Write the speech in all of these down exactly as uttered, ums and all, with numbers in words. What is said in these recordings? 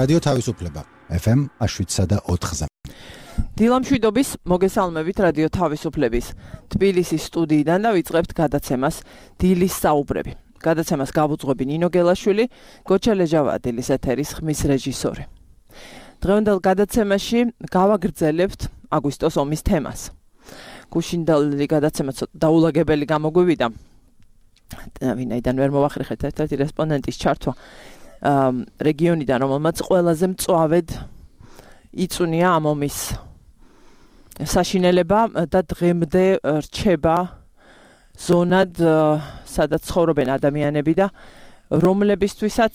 რადიო თავისუფლება ეფ ემ შვიდსა და ოთხზე. დილამშვიდობის მოგესალმებით რადიო თავისუფლების თბილისის სტუდიიდან და ვიწყებთ გადაცემას დილის საუბრები. გადაცემას გავუძღვები ნინო გელაშვილი, გოჩა ლეჟავა დილის ეთერის ხმის რეჟისორი. დღევანდელ გადაცემაში გავაგრძელებთ აგვისტოს ომის თემას. გუშინდელი გადაცემა დაულაგებელი გამოგვივიდა. ვინაიდან ვერ მოვახერხეთ ერთ-ერთი რესპონდენტის ჩართვა რეგიონიდან, რომელმაც ყველაზე მწვავედ იწუნია ამ ომის საშინელება და დღემდე რჩება ზონად, სადაც ცხოვრობენ ადამიანები და რომლებისთვისაც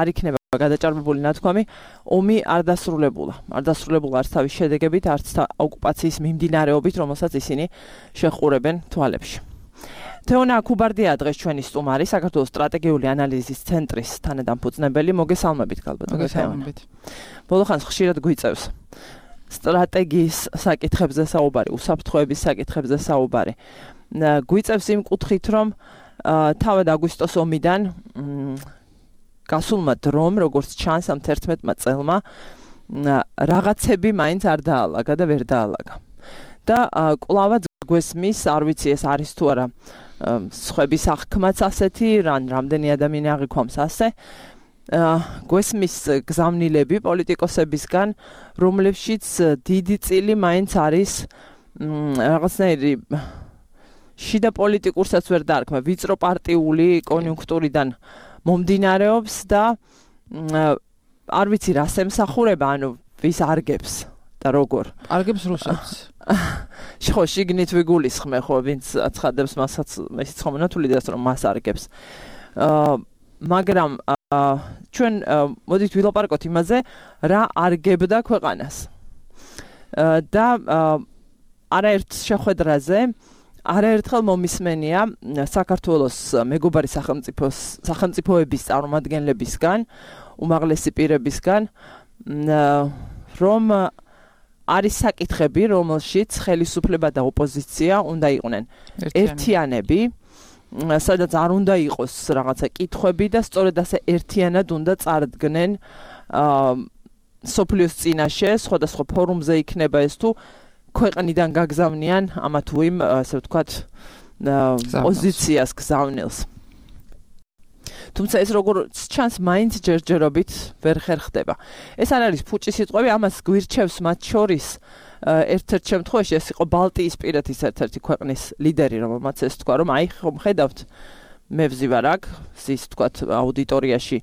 არ იქნება გადაჭარბებული ნათქვამი, ომი არ დასრულებულა. არ დასრულებულა არც თავის შედეგებით, არც ოკუპაციის მიმდინარეობით, რომელსაც ისინი შეხურებენ თვალებში. თეონა ქუბარდია დღეს ჩვენი სტუმარი, საქართველოს სტრატეგიული ანალიზის ცენტრის თანადამფუძნებელი. მოგესალმებით, გალბატონო. მოგესალმებით. ბოლოხანს ხშირად გვიწევს სტრატეგიის საკითხებზე საუბარი, უსაფრთხოების საკითხებზე საუბარი. გვიწევს იმ კუთხით, რომ თავად აგვისტოს ომიდან გასულმა დრომ, როგორც ჩანს ამ თერთმეტმა წელმა, რაღაცები მაინც არ დაალაგა და ვერ დაალაგა. და კვლავაც გვესმის, არ ვიცი ეს არის თუ არა სხვების აღქმაც ასეთი, რან რამდენი ადამიანი აღიქვამს ასე. გვესმის გზავნილები პოლიტიკოსებისგან, რომლებშიც დიდი წილი მაინც არის რაღაცნაირი შიდა პოლიტიკურსაც ვერ დაარქმევ, ვიწრო პარტიული კონიუნქტურიდან მომდინარეობს და არ ვიცი რას ემსახურება, ანუ ვის არგებს და როგორ. არგებს რუსებს. ხო, შიგნით ვიგულისხმე, ხო, ვინც აცხადებს მასაც, ისიც ხომ ნათული დას რომ მას არგებს. მაგრამ ჩვენ მოდით ვილაპარაკოთ იმაზე, რა არგებდა ქვეყანას. და არაერთ შეხვედრაზე არაერთხელ მომისმენია საქართველოს მეგობარი სახელმწიფოს სახელმწიფოების წარმომადგენლებისგან, უმაღლესი პირებისგან, რომ არის საკითხები, რომელშიც ხელისუფლება და ოპოზიცია უნდა იყვნენ ერთიანები, სადაც არ უნდა იყოს რაღაცა კითხვები და სწორედ ასე ერთიანად უნდა წარდგნენ სოფლიოს წინაშე, სხვადასხვა ფორუმზე იქნება ეს თუ ქვეყნიდან გაგზავნიან ამა თუ იმ, ასე ვთქვათ, პოზიციას გზავნილს. თუმცა ეს როგორც ჩანს, მაინც ჯერჯერობით ვერ ხერხდება. ეს არ არის ფუჭი სიტყვები, ამას გვირჩევს მათ შორის ერთ-ერთ შემთხვევაში ეს იყო ბალტიისპირეთის ერთ-ერთი ქვეყნის ლიდერი, რომელმაც ეს თქვა, რომ აი ხომ ხედავთ, მე ვზივარ აქ, ის თქვათ აუდიტორიაში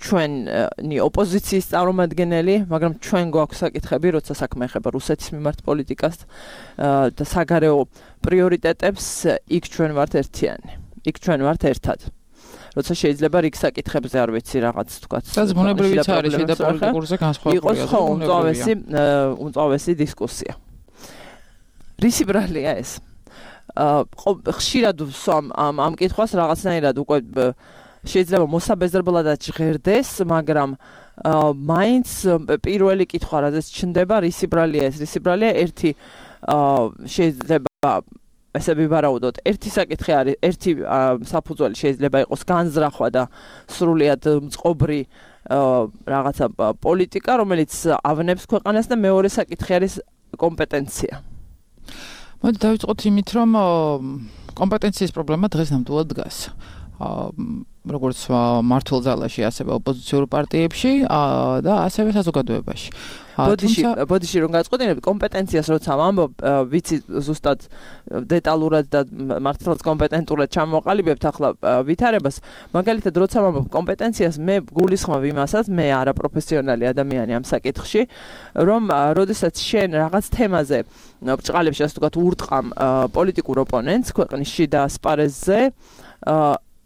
ჩვენი ოპოზიციის წარმომადგენელი, მაგრამ ჩვენ გვაქვს საკითხები, როცა საქმე ეხება რუსეთის მიმართ პოლიტიკას და საგარეო პრიორიტეტებს, იქ ჩვენ ვართ ერთიანი. იქ ჩვენ ვართ ერთად. როცა შეიძლება რიგ საკითხებზე არ ვიცი რაღაც თქვათ. და ზმუნებრივიც არის შიდა პოლიტიკურზე განსხვავებული. იყოს ხო უმწავესი უმწავესი დისკუსია. რისი ბრალია ეს? ხშირად ვსვამ ამ ამ კითხვას რაღაცნაირად უკვე შეიძლება მოსაბეზრებლადაც ჟღერდეს, მაგრამ მაინც პირველი კითხვა რადგან ჩნდება, რისი ბრალია ეს? რისი ბრალია? ერთი შეიძლება ესე ვივარაუდოთ, ერთი საკითხი არის, ერთი საფუძველი შეიძლება იყოს განზრახვა და სრულიად მწყობრი რაღაცა პოლიტიკა, რომელიც ავნებს ქვეყანას და მეორე საკითხი არის კომპეტენცია. მოდი დავიწყოთ იმით, რომ კომპეტენციის პრობლემა დღეს ნამდვილად დგას. როგორც მართულ ძალაში, ასევე ოპოზიციურ პარტიებში და ასევე საზოგადოებაში. ბოდიში, ბოდიში რომ გაწყოდინები კომპეტენციას როცა ვამბობ, ვიცი ზუსტად დეტალურად და მართლაც კომპეტენტურად ჩამოყალიბებთ ახლა ვითარებას, მაგალითად როცა ვამბობ კომპეტენციას, მე გულისხმობ იმასაც, მე არაპროფესიონალი ადამიანი ამ საკითხში, რომ როდესაც შენ რაღაც თემაზე ბრჭყალებში, ასე ვთქვათ, ურტყამ პოლიტიკურ ოპონენტს ქვეყნის შიდა ასპარეზზე,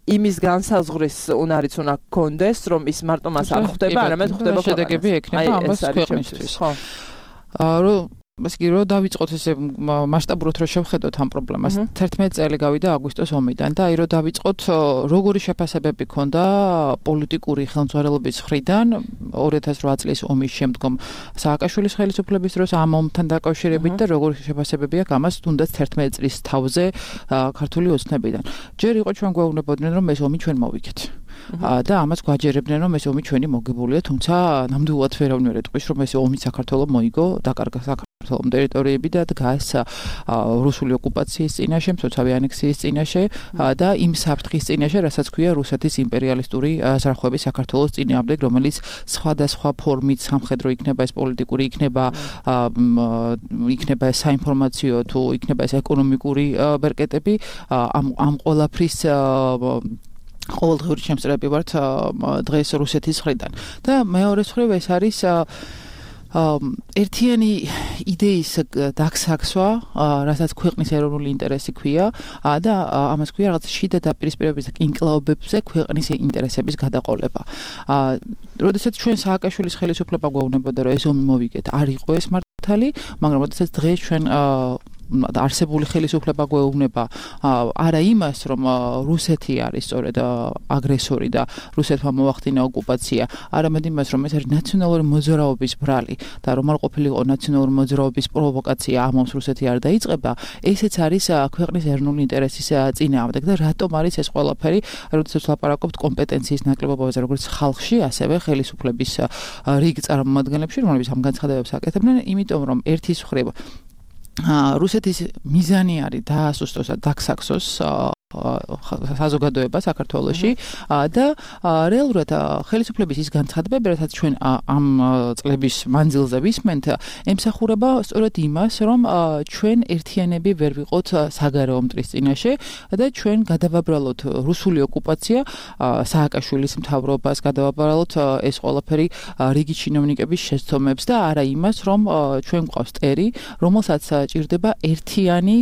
იმის განსაზღვრის უნარიც უნდა გქონდეს, რომ ის მარტო მას არ ხვდება, არამედ ხვდება შედეგები ექნება ამას ქვეყნისთვის. ხო. რომ ესე იგი რომ დავიწყოთ ესე მასშტაბურად რომ შევხედოთ ამ პრობლემას. თერთმეტი წელი გავიდა აგვისტოს ომიდან და აი რომ დავიწყოთ როგორი შეფასებები ქონდა პოლიტიკური ხელმძღვანელობის მხრიდან ორი ათას რვა წლის ომის შემდგომ სააკაშვილის ხელისუფლების დროს ამ ომთან დაკავშირებით და როგორი შეფასებები აქვს ამას თუნდაც თერთმეტი წლის თავზე ქართული ოცნებიდან. ჯერ იყო ჩვენ გვეუბნებოდნენ რომ ეს ომი ჩვენ მოვიქეთ. და ამას გვაჯერებდნენ რომ ეს ომი ჩვენი მოგებულია, თუმცა ნამდვილად ვერავინ ვერ ეტყვის რომ ეს ომი საქართველოს მოიგო, დაკარგა საქართველოს ტერიტორიები და დგას რუსული ოკუპაციის წინაშე, მცოცავი ანექსიის წინაშე და იმ საფრთხის წინაშე, რასაც ქვია რუსეთის იმპერიალისტური ზარხვები საქართველოს წინააღმდეგ, რომელიც სხვადასხვა ფორმით სამხედრო იქნება, ეს პოლიტიკური იქნება, იქნება ეს საინფორმაციო თუ იქნება ეს ეკონომიკური ბერკეტები, ამ ამ ყველაფრის ყოველდღიური შემსწრები ვართ დღეს რუსეთის მხრიდან და მეორე მხრივ ეს არის ერთიანი იდეის დაგსაქსვა, რასაც ქვეყნის ეროვნული ინტერესი ქვია და ამას ქვია რაღაც შიდა დაპირისპირებების ინკლაუბებზე ქვეყნის ინტერესების გადაყოლება. როდესაც ჩვენ სააკაშვილის ხელისუფლება გვეუბნებოდა რომ ეს ომი მოვიგეთ, არ იყო ეს მართალი, მაგრამ როდესაც დღეს ჩვენ არსებული ხელისუფლება გვეუბნება არა იმას, რომ რუსეთი არის სწორედ აგრესორი და რუსეთმა მოახდინა ოკუპაცია, არამედ იმას, რომ ეს არის ნაციონალური მოძრაობის ბრალი და რომ არ ყოფილიყო ნაციონალური მოძრაობის პროვოკაცია, ამ ომს რუსეთი არ დაიწყება, ესეც არის ქვეყნის ეროვნული ინტერესის წინააღმდეგ და რატომ არის ეს ყველაფერი, როდესაც ლაპარაკობთ კომპეტენციის ნაკლებობაზე, როგორც ხალხში, ასევე ხელისუფლების რიგ წარმომადგენლებში, რომლებიც ამ განცხადებებს აკეთებდნენ, იმიტომ რომ ერთის მხრივ რუსეთის მიზანი არის დაასუსტოს და დაგსაქსოს საზოგადოება საქართველოში და რეალურად ხელისუფლების ის განცხადებები, რასაც ჩვენ ამ წლების მანძილზე ვისმენთ, ემსახურება სწორედ იმას, რომ ჩვენ ერთიანები ვერ ვიყოთ საგარეო მტრის წინაშე და ჩვენ გადავაბრალოთ რუსული ოკუპაცია, სააკაშვილის მთავრობას გადავაბრალოთ ეს ყველაფერი რიგი ჩინოვნიკების შეცდომებს და არა იმას, რომ ჩვენ გვყავს ტერი, რომელსაც ჭირდება ერთიანი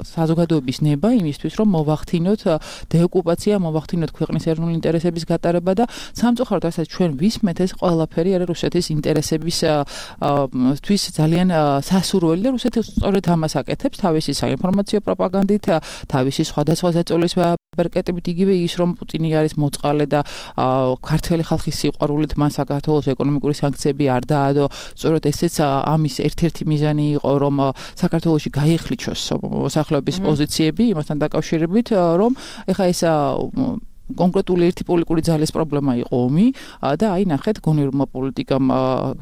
საზოგადოების ნება იმისთვის, რომ მოვახდინოთ დეოკუპაცია, მოვახდინოთ ქვეყნის ეროვნული ინტერესების გატარება და სამწუხაროდ რასაც ჩვენ ვისმენთ, ეს ყველაფერი არის რუსეთის ინტერესებისთვის ძალიან სასურველი და რუსეთი სწორედ ამას აკეთებს თავისი საინფორმაციო პროპაგანდით, თავისი სხვადასხვა ზეწოლის ბერკეტებით, იგივე ის რომ პუტინი არის მოწყალე და ქართველი ხალხის სიყვარულით მან საქართველოს ეკონომიკური სანქციები არ დაადო, სწორედ ესეც ამის ერთ-ერთი მიზანი იყო, რომ საქართველოში გაიხლიჩოს მოსახლეობის პოზიციები იმასთან დაკავშირებით, რომ ეხა ეს კონკრეტული ერთი პოლიტიკური ძალის პრობლემა იყო ომი და აი ნახეთ გონივრმა პოლიტიკამ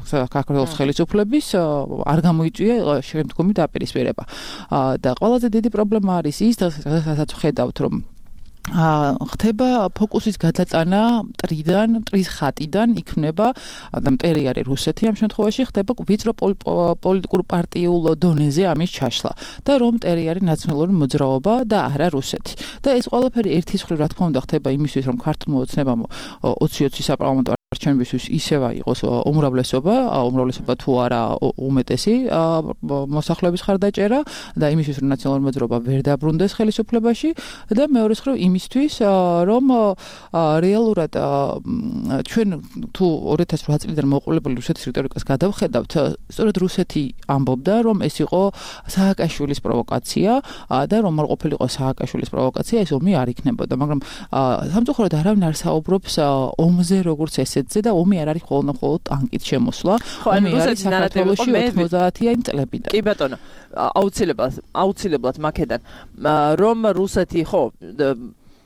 საქართველოს ხელისუფლების არ გამოიწვია შემდგომი დაპირისპირება და ყველაზე დიდი პრობლემა არის ის, რასაც ვხედავთ, რომ ხდება ფოკუსის გადატანა მტრიდან, მტრის ხატიდან იქმნება და მტერი არის რუსეთი ამ შემთხვევაში, ხდება ვიწრო პოლიტიკურ პარტიულ დონეზე ამის ჩაშლა და რომ მტერი არის ნაციონალური მოძრაობა და არა რუსეთი. და ეს ყველაფერი ერთის მხრივ რა თქმა უნდა ხდება იმისთვის, რომ ქართულმა ოცნებამ ოცი ოცი საპარლამენტო არჩევნებისთვის ისევა იყოს უმრავლესობა, უმრავლესობა თუ არა უმეტესი მოსახლეობის ხარდაჭერა და იმისთვის, რომ ნაციონალური მოძრაობა ვერ დაბრუნდეს ხელისუფლებაში და მეორე მხრივ იმისთვის, რომ რეალურად ჩვენ თუ ორი ათას ოთხ წლიდან მოყოლებული რუსეთის რიტორიკას გადავხედავთ, სწორედ რუსეთი ამბობდა, რომ ეს იყო სააკაშვილის პროვოკაცია და რომ არ ყოფილიყო სააკაშვილის პროვოკაცია, ეს ომი არ იქნებოდა, მაგრამ სამწუხაროდ არავინ არ საუბრობს ომზე როგორც ესეთზე და ომი არ არის მხოლოდ მხოლოდ ტანკით შემოსვლა. ომი არის საქართველოში ოცდაათიანი წლებიდან. კი ბატონო, აუცილებლად, აუცილებლად მაქედან რომ რუსეთი ხო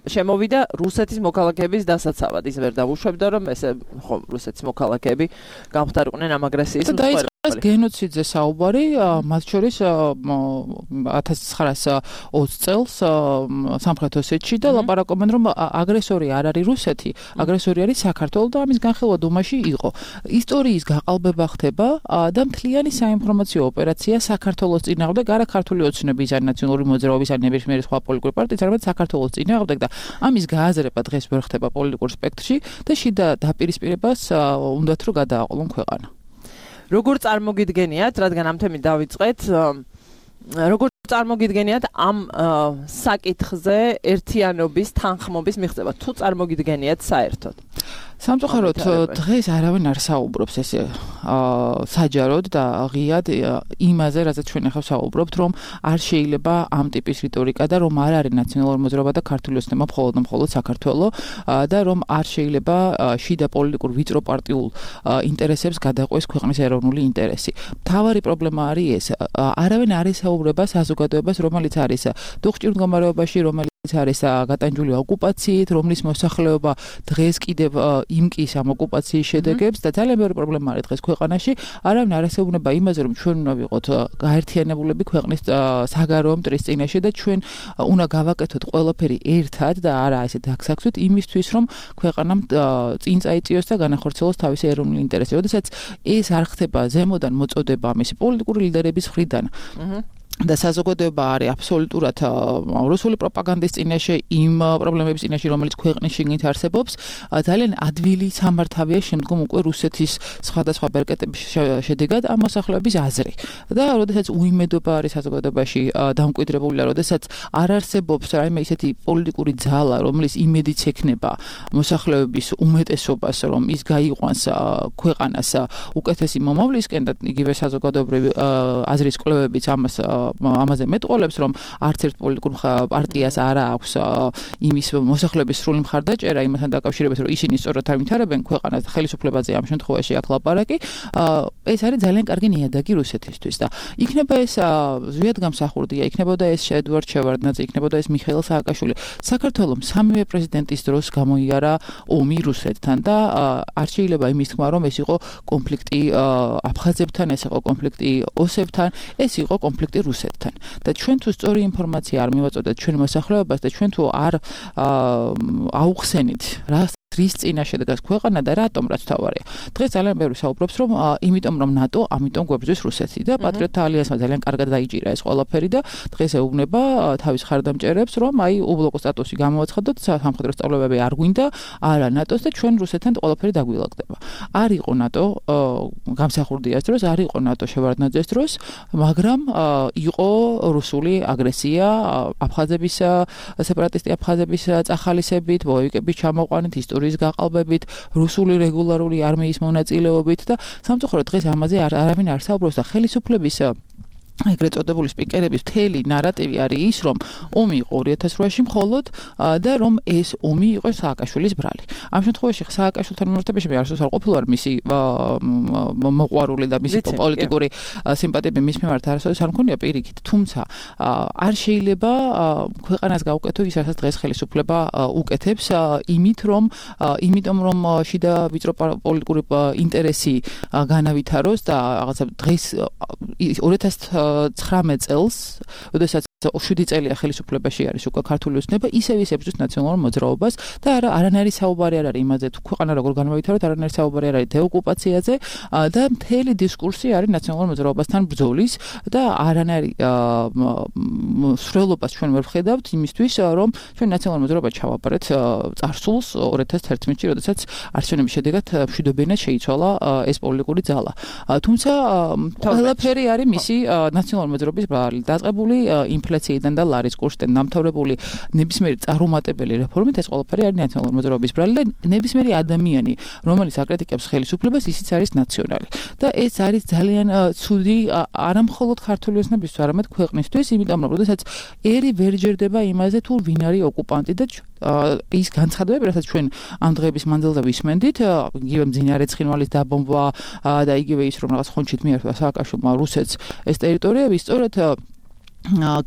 შემოვიდა რუსეთის მოქალაქეების დასაცავად, ის ვერ დავუშვებდა რომ ესე ხო რუსეთის მოქალაქეები გამხდარიყვნენ ამ აგრესიის მსხვერპლი. გენოციდზე საუბარი, მათ შორის ათას ცხრაას ოცი წელს სამხრეთ ოსეთში და ლაპარაკობენ რომ აგრესორი არ არის რუსეთი, აგრესორი არის საქართველო და ამის განხილვა დუმაში იყო. ისტორიის გაყალბება ხდება და მთლიანი საინფორმაციო ოპერაცია საქართველოს წინააღმდეგ, არა ქართული ოცნების ან ნაციონალური მოძრაობის ან ნებისმიერი სხვა პოლიტიკური პარტიის, არამედ საქართველოს წინააღმდეგ და ამის გააზრება დღეს ვერ ხდება პოლიტიკურ სპექტრში და შიდა დაპირისპირებას უნდათ რომ გადააყოლონ ქვეყანა. როგორ წარმოგიდგენიათ, რადგან ამ თემით დავიწყეთ, როგორ წარმოგიდგენიათ ამ საკითხზე ერთიანობის, თანხმობის მიღწევა, თუ წარმოგიდგენიათ საერთოდ? სამწუხაროდ დღეს არავინ არ საუბრობს ესე საჯაროდ და ღიად იმაზე, რასაც ჩვენ ახლა საუბრობთ, რომ არ შეიძლება ამ ტიპის რიტორიკა და რომ არ არის ნაციონალური მოძრაობა და ქართული ოცნება მხოლოდ და მხოლოდ საქართველო და რომ არ შეიძლება შიდა პოლიტიკურ ვიწრო პარტიულ ინტერესებს გადაყვეს ქვეყნის ეროვნული ინტერესი. მთავარი პრობლემა არის ეს, არავინ არ ესაუბრება საზოგადოებას, რომელიც არის დუხჭირ მდგომარეობაში, რომელიც არის გატანჯული ოკუპაციით, რომლის მოსახლეობა დღეს კიდევ იმკის ამ ოკუპაციის შედეგებს და ძალიან ბევრი პრობლემა არის დღეს ქვეყანაში. არავინ არ ასეუბნება იმაზე, რომ ჩვენ უნდა ვიყოთ გაერთიანებულები ქვეყნის საგარეო მტრის წინაშე და ჩვენ უნდა გავაკეთოთ ყველაფერი ერთად და არა ესე დაგსაქსვით იმისთვის, რომ ქვეყანამ წინ წაიწიოს და განახორციელოს თავისი ეროვნული ინტერესი. როდესაც ეს არ ხდება ზემოდან მოწოდება მისი პოლიტიკური ლიდერების მხრიდან. და საზოგადოება არის აბსოლუტურად რუსული პროპაგანდის წინაშე იმ პრობლემების წინაშე, რომელიც ქვეყნის შიგნით არსებობს, ძალიან ადვილი სამართავია შემდგომ უკვე რუსეთის სხვადასხვა ბერკეტების შედეგად ამ მოსახლეობის აზრი. და როდესაც უიმედობა არის საზოგადოებაში დამკვიდრებული და როდესაც არ არსებობს რაიმე ისეთი პოლიტიკური ძალა, რომლის იმედიც ექნება მოსახლეობის უმეტესობას, რომ ის გაიყვანს ქვეყანას უკეთესი მომავლისკენ და იგივე საზოგადოებრივი აზრის კვლევებიც ამას ამაზე მეტყოლებს, რომ არც ერთ პოლიტიკურ პარტიას არ აქვს იმის მოსახლეობის სრული მხარდაჭერა იმასთან დაკავშირებით, რომ ისინი სწორად ავითარებენ ქვეყანას ხელისუფლებაზე ამ შემთხვევაში აქ ლაპარაკი. ეს არის ძალიან კარგი ნიადაგი რუსეთისთვის და იქნება ეს ზვიადგამსახურდია, იქნებოდა ეს ედვარდ შევარდნაძე, იქნებოდა ეს მიხეილ სააკაშვილი. საქართველოს სამივე პრეზიდენტის დროს გამოიარა ომი რუსეთთან და არ შეიძლება იმის თქმა, რომ ეს იყო კონფლიქტი აფხაზებთან, ეს იყო კონფლიქტი ოსებთან, ეს იყო კონფლიქტი რუსეთთან. და ჩვენ თუ სწორი ინფორმაცია არ მივაწოდეთ ჩვენ მოსახლეობას და ჩვენ თუ არ აუხსენით რა რის წინაშე დგას ქვეყანა და რატომ რაც თავარია. დღეს ძალიან ბევრი საუბრობს, რომ იმიტომ რომ ნატო, ამიტომ გვებრძვის რუსეთი და პატრიოტთა ალიანსმა ძალიან კარგად დაიჭირა ეს ყველაფერი და დღეს ეუბნება თავის ხარდამჭერებს, რომ აი უბლოკო სტატუსი გამოაცხადოთ, სამხედრო სწავლებები არ გვინდა, არა ნატოს და ჩვენ რუსეთთან ყველაფერი დაგვილაგდება. არ იყო ნატო გამსახურდიას დროს, არ იყო ნატო შევარდნაძეს დროს, მაგრამ იყო რუსული აგრესია აფხაზების სეპარატისტი აფხაზების წახალისებით, ბოევიკების ჩამოყვანით, ისტორიის გაყალბებით, რუსული რეგულარული არმიის მონაწილეობით და სამწუხაროდ დღეს ამაზე არავინ არ საუბრობს და ხელისუფლების ეგრეთ წოდებული სპიკერების მთელი ნარატივი არის ის, რომ ომი იყო ორი ათას რვაში მხოლოდ და რომ ეს ომი იყო სააკაშვილის ბრალი. ამ შემთხვევაში სააკაშვილთან მიმართებაში მე არასდროს არ ყოფილვარ მისი მოყვარული და მისი პოლიტიკური სიმპათიები მის მიმართ არასდროს არ მქონია პირიქით, თუმცა არ შეიძლება ქვეყანას გაუკეთო ის, რასაც დღეს ხელისუფლება უკეთებს, იმით რომ იმიტომ რომ შიდა ვიწრო პოლიტიკური ინტერესი განავითაროს და რაღაცა დღეს ორი ათას ცხრამეტ წელს, როდესაც შვიდი წელია ხელისუფლებაში არის უკვე ქართული ოცნება, ისევ ის ებრძვის ნაციონალურ მოძრაობას და არა არანაირი საუბარი არ არის იმაზე, თუ ქვეყანა როგორ განავითაროთ, არანაირი საუბარი არ არის დეოკუპაციაზე და მთელი დისკურსი არის ნაციონალურ მოძრაობასთან ბრძოლის და არანაირი სრულობას ჩვენ ვერ ვხედავთ იმისთვის, რომ ჩვენ ნაციონალურ მოძრაობას ჩავაბარეთ წარსულს ორი ათას თერთმეტში, როდესაც არჩევნების შედეგად მშვიდობიანად შეიცვალა ეს პოლიტიკური ძალა. თუმცა ყველაფერი არის მისი ნაციონალური მოძრაობის ბრალი, დაწყებული ინფლაციიდან და ლარის კურსიდან დამთავრებული ნებისმიერი წარუმატებელი რეფორმით ეს ყველაფერი არის ნაციონალური მოძრაობის ბრალი და ნებისმიერი ადამიანი, რომელიც აკრიტიკებს ხელისუფლებას, ისიც არის ნაციონალი. და ეს არის ძალიან ცუდი არა მხოლოდ ქართული ოცნებისთვის, არამედ ქვეყნისთვის, იმიტომ რომ როდესაც ერი ვერ ჯერდება იმაზე, თუ ვინ არის ოკუპანტი და ის განცხადებები, რასაც ჩვენ ამ დღეების მანძილზე ვისმენდით, იგივე მძინარე ცხინვალის დაბომბვა და იგივე ის, რომ რაღაც ხონჩით მიართვა სააკაშვილმა რუსეთს ეს ტერიტორიები, სწორედ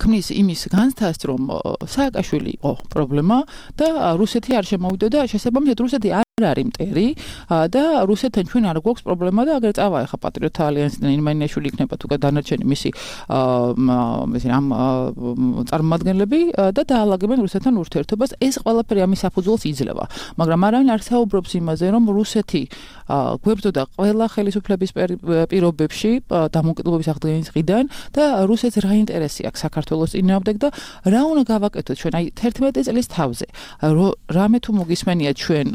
ქმნის იმის განცდას, რომ სააკაშვილი იყო პრობლემა და რუსეთი არ შემოვიდა და შესაბამისად რუსეთი არ არის მტერი და რუსეთთან ჩვენ არ გვაქვს პრობლემა და აგერ წავა ახლა პატრიოტთა ალიანსიდან ირმანიაშვილი იქნება თუ დანარჩენი მისი ამ წარმომადგენლები და დაალაგებენ რუსეთთან ურთიერთობას. ეს ყველაფერი ამის საფუძველს იძლევა, მაგრამ არავინ არ საუბრობს იმაზე, რომ რუსეთი გვებრძოდა ყველა ხელისუფლების პირობებში დამოუკიდებლობის აღდგენის დღიდან და რუსეთს რა ინტერესი აქვს საქართველოს წინააღმდეგ და რა უნდა გავაკეთოთ ჩვენ აი თერთმეტი წლის თავზე. რამე თუ მოგისმენია ჩვენ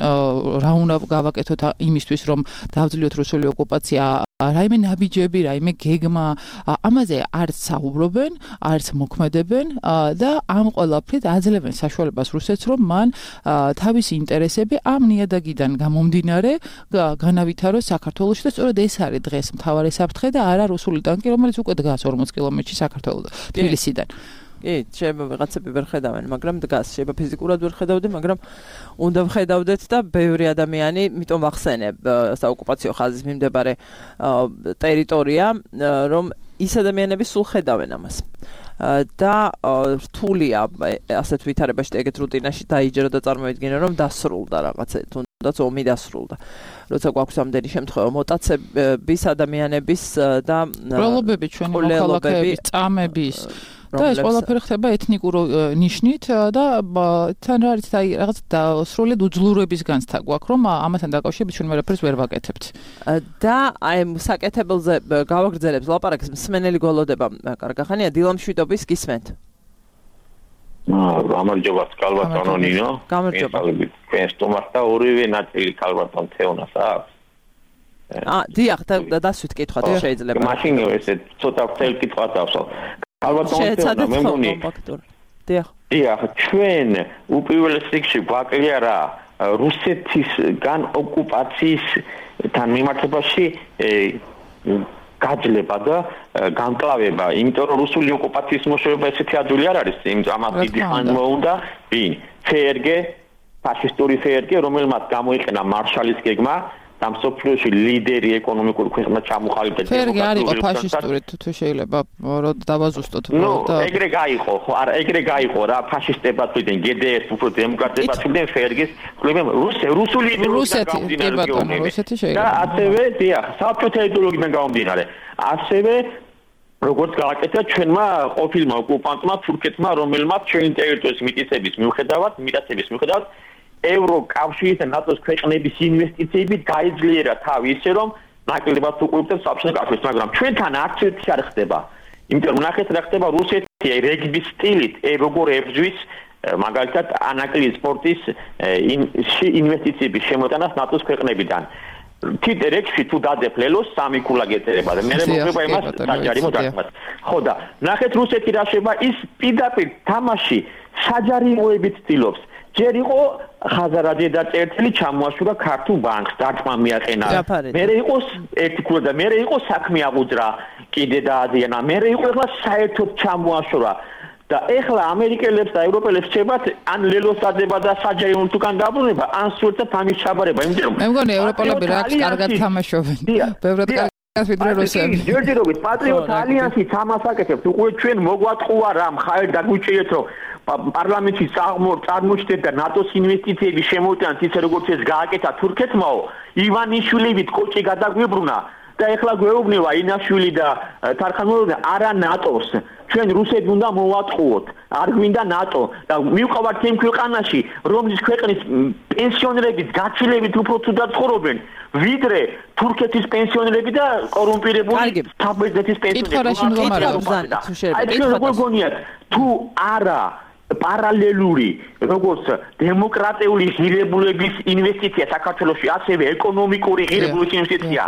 რა უნდა გავაკეთოთ იმისთვის, რომ დავძლიოთ რუსული ოკუპაცია, რაიმე ნაბიჯები, რაიმე გეგმა, ამაზე არც საუბრობენ, არც მოქმედებენ და ამ ყველაფრით აძლევენ საშუალებას რუსეთს, რომ მან თავისი ინტერესები ამ ნიადაგიდან გამომდინარე განავითაროს საქართველოში და სწორედ ეს არის დღეს მთავარი საფრთხე და არა რუსული ტანკი, რომელიც უკვე დგას ორმოც კილომეტრში საქართველოს თბილისიდან. კი, შეიძლება ვიღაცები ვერ ხედავენ, მაგრამ დგას, შეიძლება ფიზიკურად ვერ ხედავდე, მაგრამ უნდა ვხედავდეთ და ბევრი ადამიანი, მიტომ ვახსენებ საოკუპაციო ხაზის მიმდებარე ტერიტორია, რომ ის ადამიანები სულ ხედავენ ამას. და რთულია ასეთ ვითარებაში და ეგეთ რუტინაში დაიჯერო და წარმოვიდგინო რომ დასრულდა რაღაცა თუნდაც ომი დასრულდა როცა გვაქვს ამდენი შემთხვევა მოტაცების ადამიანების და პროლობები ჩვენი მოქალაქეების წამების და ეს ყველაფერი ხდება ეთნიკურ ნიშნით და თან რა არის აი რაღაც სრულად უძლურების განცდა გვაქვს რომ ამასთან დაკავშირებით ჩვენ ვერაფერს ვერ ვაკეთებთ და აი საკეთებელზე გავაგრძელებს ლაპარაკს მსმენელი გოლოდება კარგახანია დილამშვიდობის გისმენთ გამარჯობა კალბატონო ნინო გამარჯობა თქვენ სტუმარს და ორივე ნაწილი კალბატონ თეონას აქვს აა დიახ და დასვით კითხვა შეიძლება მაშინ ესე ცოტა წელ კითხვა დავსო კალბატონ თეონა მე მგონი დიახ დიახ ჩვენ უპირველეს რიგში გვაკლია რა რუსეთისგან ოკუპაციისთან მიმართებაში გაძლება და განკლავება, იმიტომ რომ რუსული ოკუპაციის მოშორება ესეთი ადვილი არ არის, იმიტომ ამას დიდი ხანი მოუნდა, ვინ? ფერგე, ფაშისტური ფერგე, რომელმაც გამოიყენა მარშალის გეგმა და მსოფლიოში ლიდერი ეკონომიკური ქვეყნა ჩამოყალიბდა. ფერგე არ იყო ფაშისტური, თუ შეიძლება რომ დავაზუსტოთ და ეგრე გაიყო, ხო, არა, ეგრე გაიყო რა, ფაშისტებად ვიდნენ, გედეერს უფრო დემოკრატებად ვიდნენ ფერგეს, ხლებემ რუსე, რუსული იდეოლოგია რუსეთი შეიძლება. და ასევე, დიახ, საბჭოთა იდეოლოგიიდან გამომდინარე. ასევე როგორც გააკეთა ჩვენმა ყოფილმა ოკუპანტმა თურქეთმა, რომელმაც ჩვენი ტერიტორიის მიტაცების მიუხედავად, მიტაცების მიუხედავად ევროკავშირის და ნატოს ქვეყნების ინვესტიციებით გაიძლიერა თავი ისე რომ ნაკლებად უყურებდა საბჭოთა კავშირს, მაგრამ ჩვენთან არც ერთი არ ხდება. იმიტომ რომ ნახეთ რა ხდება რუსეთი რეგბის სტილით, როგორ ებრძვის მაგალითად ანაკლიის სპორტის ინვესტიციების შემოტანას ნატოს ქვეყნებიდან. თითერექსი თუ დაძეფლელოს სამი ქულა გეწერება და მე მოგება იმას საჯარი მოდარქმას. ხო და ნახეთ რუსეთი რა შეება ის პირდაპირ თამაში საჯარიმოებით ცდილობს. ჯერ იყო ხაზარაძე და წერტილი ჩამოაშურა ქართულ ბანკს დარტყმა მიაყენა. მერე იყო ერთი ქულა და მერე იყო საქმე აღუძრა კიდე დაადიანა. მერე იყო ახლა საერთოდ ჩამოაშურა. და ეხლა ამერიკელებს და ევროპელებს შეებათ ან ლელოს დადება და საჯარიმო თუკან დაბრუნება ან სულთა თამის ჩაბარება იმიტომ რომ მე მგონი ევროპელები რაც კარგად თამაშობენ ბევრად კარგად ვიდრე რუსები ჯერჯერობით პატრიოტ ალიანსი თამაშაკეთებს უკვე ჩვენ მოგვატყუა რა მხარი დაგვიჭირეთ რომ პარლამენტში წარმოჩნდეთ და ნატოს ინვესტიციების შემოიტანეთ ისე როგორც ეს გააკეთა თურქეთმაო ივანიშვილივით კოჭი გადაგვიბრუნა და ეხლა გვეუბნება ინაშვილი და თარხანოვი არა ნატოს ჩვენ რუსები უნდა მოვატყუოთ არ გვინდა ნატო და მივყავართ იმ ქვეყანაში რომლის ქვეყნის პენსიონერების გაცილებით უფრო თუდად ცხოვრობენ ვიდრე თურქეთის პენსიონერები და კორუმპირებული საბერძნეთის პენსიონერები აი ჩვენ როგორ გონიათ თუ არა პარალელური როგორც დემოკრატიული ღირებულების ინვესტიცია საქართველოში ასევე ეკონომიკური ღირებულების ინვესტიცია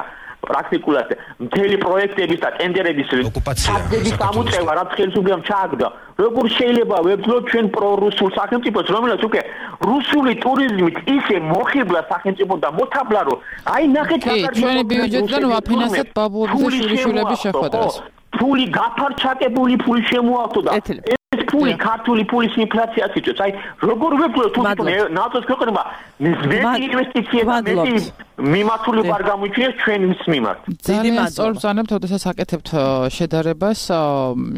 პრაქტიკულად მთელი პროექტების და ტენდერების ოკუპაციის გამოწევა რაც ხელისუფლებამ ჩააგდა როგორ შეიძლება ვებძლოთ ჩვენ პრორუსულ სახელმწიფოს რომელსაც უკვე რუსული ტურიზმით ისე მოხიბლა სახელმწიფო და მოთაბლა რომ აი ნახეთ ჩვენი ბიუჯეტიდან ვაფინანსებთ ბაბუების და შვილიშვილების შეხვედრას ფული გაფარჩაკებული ფული შემოავთო და ეს ფული ქართული ფულის ინფლაციას იწვევს აი როგორ ვებძლოთ თუ ნატოს ქვეყნებმა მეტი ინვესტიციები და მეტი მიმართულება არ გამოიჩინეს ჩვენს მიმართ ძალიან სწორ ბრძანებთ ოდესაც აკეთებთ შედარებას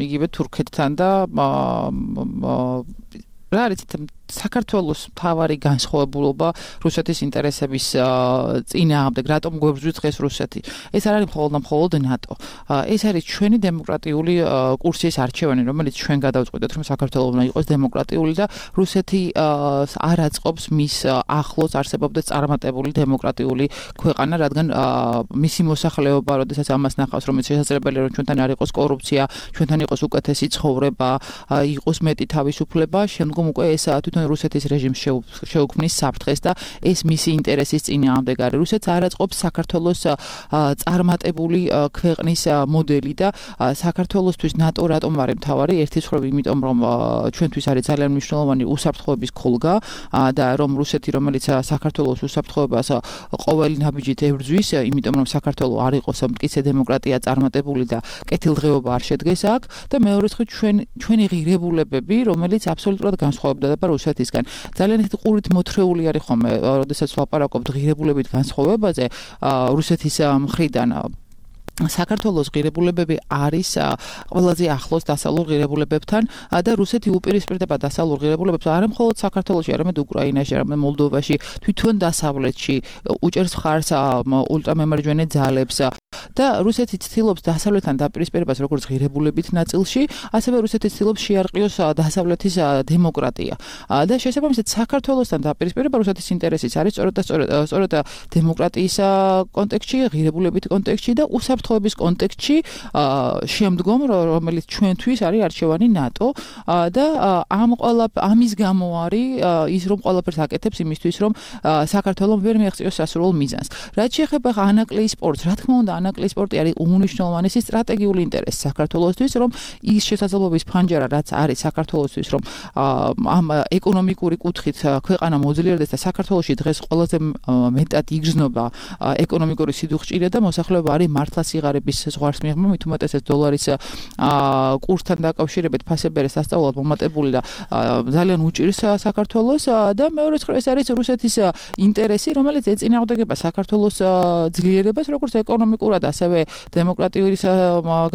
იგივე თურქეთთან და რა არის საქართველოს მთავარი განსხვავებულობა რუსეთის ინტერესების წინააღმდეგ რატომ გვებრძვის დღეს რუსეთი ეს არ არის მხოლოდ და მხოლოდ ნატო ეს არის ჩვენი დემოკრატიული კურსის არჩევანი რომელიც ჩვენ გადავწყვეტეთ რომ საქართველოს უნდა იყოს დემოკრატიული და რუსეთი არ აწყობს მის ახლოს არსებობდეს წარმატებული დემოკრატიული ქვეყანა რადგან მისი მოსახლეობა როდესაც ამას ნახავს რომ შესაძლებელია რომ ჩვენთან არ იყოს კორუფცია ჩვენთან იყოს უკეთესი ცხოვრება იყოს მეტი თავისუფლება შემდგომ უკვე ეს თვითონ რუსეთის რეჟიმს შეუქმნის საფრთხეს და ეს მისი ინტერესის წინააღმდეგ არის. რუსეთს არ აწყობს საქართველოს წარმატებული ქვეყნის მოდელი და საქართველოსთვის ნატო რატომ არის მთავარი? ერთის მხრივ იმიტომ რომ ჩვენთვის არის ძალიან მნიშვნელოვანი უსაფრთხოების ქოლგა და რომ რუსეთი რომელიც საქართველოს უსაფრთხოებას ყოველი ნაბიჯით ებრძვის, იმიტომ რომ საქართველო არ იყოს მტკიცე დემოკრატია წარმატებული და კეთილდღეობა არ შედგეს აქ და მეორე მხრივ ჩვენ ჩვენი ღირებულებები რომელიც აბსოლუტურად განსხვავდება რუსეთისგან. ძალიან ისეთი ყურით მოთხრეული არის ხოლმე, როდესაც ვლაპარაკობთ ღირებულებით განსხვავებაზე რუსეთის მხრიდან საქართველოს ღირებულებები არის ყველაზე ახლოს დასავლურ ღირებულებებთან და რუსეთი უპირისპირდება დასავლურ ღირებულებებს არა მხოლოდ საქართველოში, არამედ უკრაინაში, არამედ მოლდოვაში, თვითონ დასავლეთში უჭერს მხარს ულტრამემარჯვენე ძალებს და რუსეთი ცდილობს დასავლეთთან დაპირისპირებას როგორც ღირებულებით ნაწილში, ასევე რუსეთი ცდილობს შეარყიოს დასავლეთის დემოკრატია. და შესაბამისად საქართველოსთან დაპირისპირება რუსეთის ინტერესიც არის სწორედ და სწორედ დემოკრატიის კონტექსტში, ღირებულებით კონტექსტში და უსაფრთხოების კონტექსტში შემდგომ რომელიც ჩვენთვის არის არჩევანი ნატო და ამ ყველა ამის გამო არის ის რომ ყველაფერს აკეთებს იმისთვის რომ საქართველოს ვერ მიაღწიოს სასურველ მიზანს. რაც შეეხება ანაკლიის სპორტს, რა თქმა უნდა ანაკლიის სპორტი არის უმნიშვნელოვანესი სტრატეგიული ინტერესი საქართველოსთვის, რომ ის შესაძლებლობის ფანჯარა რაც არის საქართველოსთვის, რომ ამ ეკონომიკური კუთხით ქვეყანა მოძლიერდეს და საქართველოში დღეს ყველაზე მეტად იგრძნობა ეკონომიკური სიდუხჭირე და მოსახლეობა არის მართლა სიღარიბის ზღვარს მიიღება, მით უმეტესად დოლარის კურსთან დაკავშირებით ფასებერეს ასწავლად მომატებული და ძალიან უჭირს საქართველოს და მეორე მხრივ ეს არის რუსეთის ინტერესი, რომელიც ეწინააღმდეგება საქართველოს ძლიერებას, როგორც ეკონომიკურად, ასევე დემოკრატიული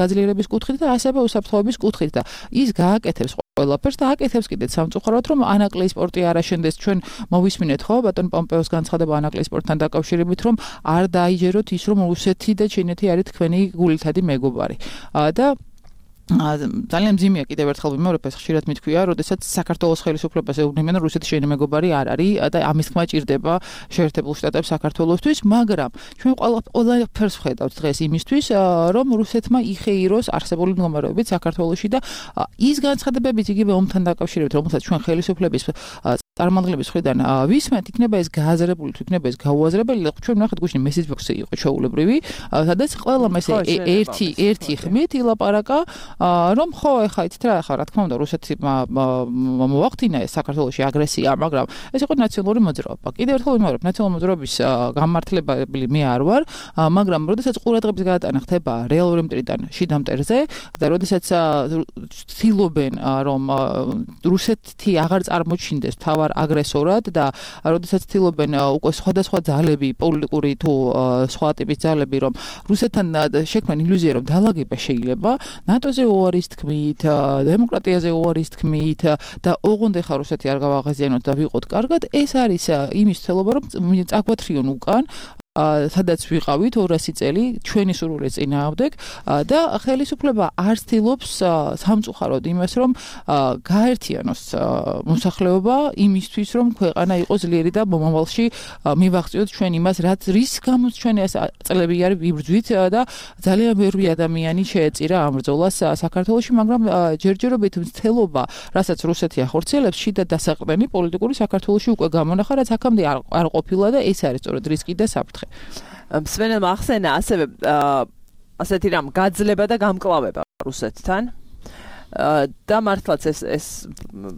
გაძლიერების კუთხით და ასევე უსაფრთხოების კუთხით და ის გააკეთებს ყველაფერს და აკეთებს კიდეც სამწუხაროდ რომ ანაკლიის სპორტი არ აშენდეს. ჩვენ მოვისმინეთ ხო ბატონ პომპეოს განცხადება ანაკლიის სპორტთან დაკავშირებით, რომ არ დაიჯეროთ ის რომ რუსეთი და ჩინეთი არის თქვენი გულითადი მეგობარი და ძალიან მძიმეა კიდევ ერთხელ ვიმეორებ ეს ხშირად მითქვია, როდესაც საქართველოს ხელისუფლებას ეუბნებიან, რომ რუსეთი შენი მეგობარი არ არის და ამის თქმა ჭირდება შეერთებულ შტატებს საქართველოსთვის, მაგრამ ჩვენ ყველაფერს ვხედავთ დღეს იმისთვის, რომ რუსეთმა იხეიროს არსებული მდგომარეობით საქართველოში და ის განცხადებებით იგივე ომთან დაკავშირებით, რომელსაც ჩვენ ხელისუფლების წარმომადგენლების მხრიდან ვისმენთ, იქნება ეს გააზრებული, თუ იქნება ეს გაუაზრებელი, ჩვენ ვნახეთ გუშინ message box-ი იყო ჩაულებრივი, სადაც ყველა ეს ერთი ერთი ხმით ილაპარაკა რომ ხო ეხა იცით რა ხა რა თქმა უნდა რუსეთმა მოახდინა ეს საქართველოში აგრესია, მაგრამ ეს იყო ნაციონალური მოძრაობა. კიდევ ერთხელ ვიმეორებ, ნაციონალური მოძრაობის გამართლებელი მე არ ვარ, მაგრამ როდესაც ყურადღების გადატანა ხდება რეალური მტრიდან შიდა მტერზე და როდესაც ცდილობენ რომ რუსეთი აღარ წარმოჩინდეს თავარ აგრესორად და როდესაც ცდილობენ უკვე სხვადასხვა ძალები, პოლიტიკური თუ სხვა ტიპის ძალები რომ რუსეთთან შექმნან ილუზია რომ დაალაგება შეიძლება, ნატოზე უარის თქმით, დემოკრატიაზე უარის თქმით და ოღონდ ახლა რუსეთი არ გავაღაზიანოთ და ვიყოთ კარგად, ეს არის იმის ცდილობა რომ წაგვათრიონ უკან სადაც ვიყავით ორასი წელი ჩვენი სურვილის წინააღმდეგ და ხელისუფლება არ ცდილობს სამწუხაროდ იმას რომ გაერთიანოს მოსახლეობა იმისთვის რომ ქვეყანა იყოს ძლიერი და მომავალში მივაღწიოთ ჩვენ იმას რაც რის გამოც ჩვენ ეს წლები არის ვიბრძვით და ძალიან ბევრი ადამიანი შეეწირა ამ ბრძოლას საქართველოში, მაგრამ ჯერჯერობით მცდელობა რასაც რუსეთი ახორციელებს შიდა დასაყრდენი პოლიტიკური საქართველოში უკვე გამონახა, რაც აქამდე არ ყოფილა და ეს არის სწორედ რისკი და საფრთხე. მსმენელმა ახსენა ასევე ასეთი რამ გაძლება და გამკლავება რუსეთთან და მართლაც ეს ეს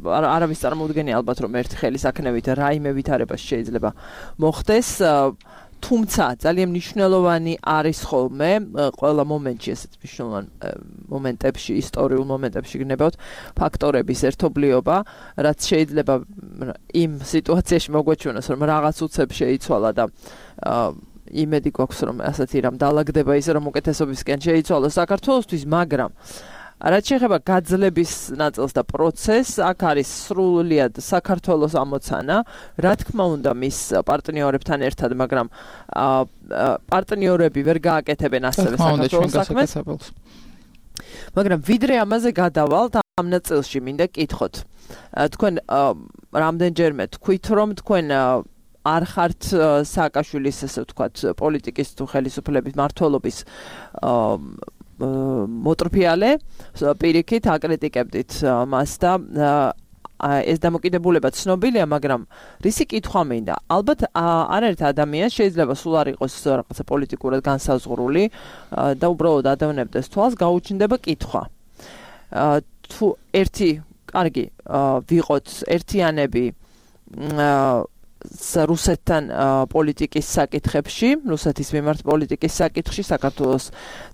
არავის წარმოუდგენია ალბათ რომ ერთი ხელისაქნევით რაიმე ვითარება შეიძლება მოხდეს, თუმცა ძალიან მნიშვნელოვანი არის ხოლმე ყველა მომენტში ესეთ მნიშვნელოვან მომენტებში, ისტორიულ მომენტებში გნებავთ ფაქტორების ერთობლიობა, რაც შეიძლება იმ სიტუაციაში მოგვეჩვენოს რომ რაღაც უცებ შეიცვალა და იმედი გვაქვს რომ ასეთი რამ დაალაგდება ისე რომ უკეთესობისკენ შეიცვალოს საქართველოსთვის, მაგრამ რაც შეეხება გაძლების ნაწილს და პროცესს, აქ არის სრულიად საქართველოს ამოცანა, რა თქმა უნდა მის პარტნიორებთან ერთად, მაგრამ პარტნიორები ვერ გააკეთებენ ასევე საქართველოს საქმეს. მაგრამ ვიდრე ამაზე გადავალთ, ამ ნაწილში მინდა კითხოთ. თქვენ რამდენჯერმე თქვით რომ თქვენ არ ხართ სააკაშვილის ესე ვთქვათ პოლიტიკის თუ ხელისუფლების მმართველობის მოტრფიალე, პირიქით აკრიტიკებდით მას და ეს დამოკიდებულება ცნობილია, მაგრამ რისი კითხვა მინდა? ალბათ არაერთ ადამიანს შეიძლება სულ არ იყოს რაღაცა პოლიტიკურად განსაზღვრული და უბრალოდ ადევნებდეს თვალს, გაუჩნდება კითხვა. თუ ერთი, კარგი, ვიყოთ ერთიანები რუსეთთან პოლიტიკის საკითხებში, რუსეთის მიმართ პოლიტიკის საკითხში, საქართველოს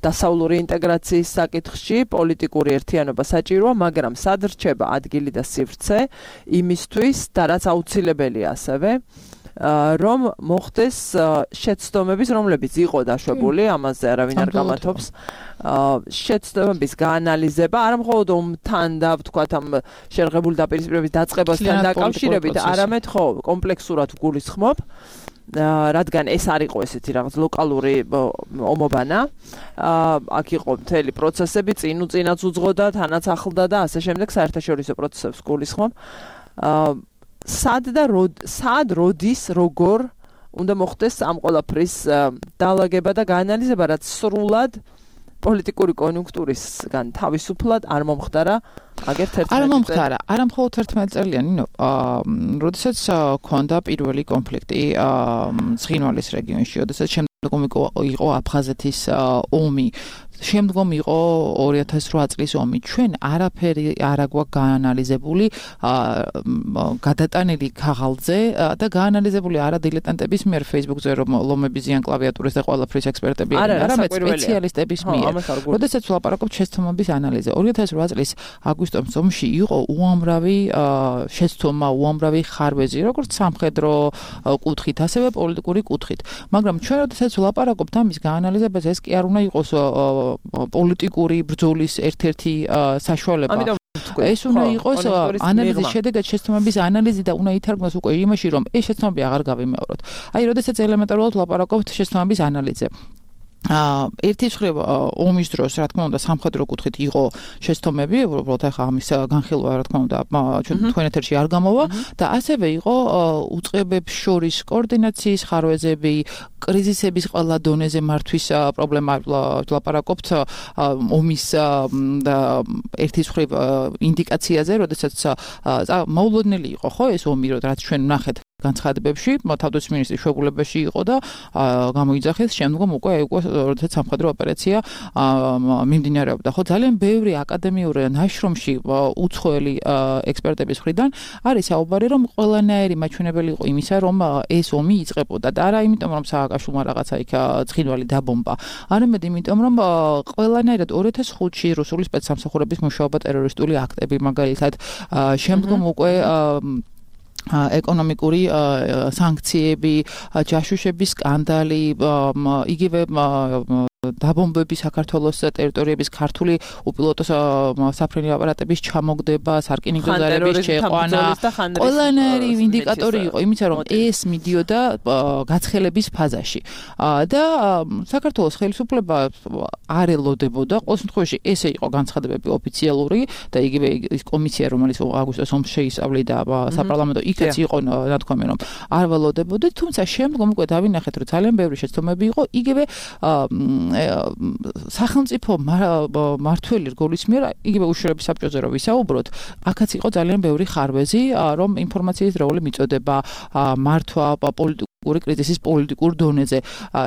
დასავლური ინტეგრაციის საკითხში, პოლიტიკური ერთიანობა საჭიროა, მაგრამ სად რჩება ადგილი და სივრცე იმისთვის და რაც აუცილებელია ასევე რომ მოხდეს შეცდომების, რომლებიც იყო დაშვებული, ამაზე არავინ არ გამათობს. შეცდომების გაანალიზება, არა მხოლოდ ომთან და ვთქვათ ამ შერღებული დაპირისპირების დაწყებასთან დაკავშირებით, არამედ ხო კომპლექსურად გულისხმობ. რადგან ეს არ იყო ესეთი რაღაც ლოკალური ომობანა, აქ იყო მთელი პროცესები, წინ უწინაც უძღოდა, თანაც ახლდა და ასე შემდეგ საერთაშორისო პროცესებს გულისხმობ. სად და სად როდის როგორ უნდა მოხდეს ამ ყველაფრის დაალაგება და გაანალიზება, რაც სრულად პოლიტიკური კონიუნქტურისგან თავისუფლად არ მომხდარა აგერ თერთმეტი წელი. არ მომხდარა, არა მხოლოდ თერთმეტი წელიანი, ნუ, როდესაც ქონდა პირველი კონფლიქტი ცხინვალის რეგიონში, როდესაც შემდგომ იყო აფხაზეთის ომი, შემდგომ იყო ორი ათას რვა წლის ომი. ჩვენ არაფერი არ აგვაქვს გაანალიზებული, გადატანილი ქაღალდზე და გაანალიზებული არა დილეტანტების მიერ Facebook-ზე, რომ ლომების ზიან კლავიატურის და ყველაფრის ექსპერტები არიან, არამედ სპეციალისტების მიერ. როდესაც ვლაპარაკობთ შეცდომების ანალიზზე, ორი ათას რვა წლის აგვისტოს ომში იყო უამრავი შეცდომა, უამრავი ხარვეზი, როგორც სამხედრო კუთხით, ასევე პოლიტიკური კუთხით. მაგრამ ჩვენ როდესაც ვლაპარაკობთ ამის გაანალიზებას, ეს კი არ უნდა იყოს პოლიტიკური ბრძოლის ერთ-ერთი საშუალება. ეს უნდა იყოს ანალიზის შედეგად შეცდომების ანალიზი და უნდა ითარგმნოს უკვე იმაში, რომ ეს შეცდომები აღარ გავიმეოროთ. აი, როდესაც ელემენტარულად ვლაპარაკობთ შეცდომების ანალიზზე. ერთი მხრივ ომის დროს, რა თქმა უნდა, სამხედრო კუთხით იყო შეცდომები, უბრალოდ ახლა ამის განხილვა, რა თქმა უნდა, ჩვენ ეთერში არ გამოვა და ასევე იყო უწყებებს შორის კოორდინაციის ხარვეზები, კრიზისების ყველა დონეზე მართვის პრობლემა ვლაპარაკობთ ომის და ერთი მხრივ ინდიკაციაზე, როდესაც მოულოდნელი იყო, ხო, ეს ომი, რაც ჩვენ ვნახეთ განცხადებებში, თავდაცვის მინისტრის შეგულებაში იყო და გამოიძახეს შემდგომ უკვე უკვე როდესაც სამხედრო ოპერაცია მიმდინარეობდა. ხო, ძალიან ბევრი აკადემიური ნაშრომში უცხოელი ექსპერტების მხრიდან არის საუბარი, რომ ყველანაირი მაჩვენებელი იყო იმისა, რომ ეს ომი იწყებოდა და არა იმიტომ, რომ სააკაშვილმა რაღაცა იქ ცხინვალი დაბომბა, არამედ იმიტომ, რომ ყველანაირად ორი ათას ხუთში რუსული სპეცსამსახურების მუშაობა ტერორისტული აქტები, მაგალითად, შემდგომ უკვე ეკონომიკური სანქციები, ჯაშუშების სკანდალი, იგივე დაბომბები საქართველოს ტერიტორიების ქართული უპილოტო საფრენი აპარატების ჩამოგდება, სარკინიგზო ზარების შეყვანა, ყველანაირი ინდიკატორი იყო იმისა, რომ ეს მიდიოდა გაცხელების ფაზაში. და საქართველოს ხელისუფლება არ ელოდებოდა, ყოველ შემთხვევაში ესე იყო განცხადებები ოფიციალური და იგივე ის კომისია, რომელიც აგვისტოს ომს შეისწავლიდა საპარლამენტო, იქაც იყო ნათქვამი, რომ არ ველოდებოდა, თუმცა შემდგომ უკვე დავინახეთ, რომ ძალიან ბევრი შეცდომები იყო, იგივე სახელმწიფო მართველი რგოლის მიერ, იგივე უშიშროების საბჭოზე რო ვისაუბროთ, აქაც იყო ძალიან ბევრი ხარვეზი, რომ ინფორმაციის როლი მიწოდება, მართვა პოლიტიკური კრიზისის პოლიტიკურ დონეზე.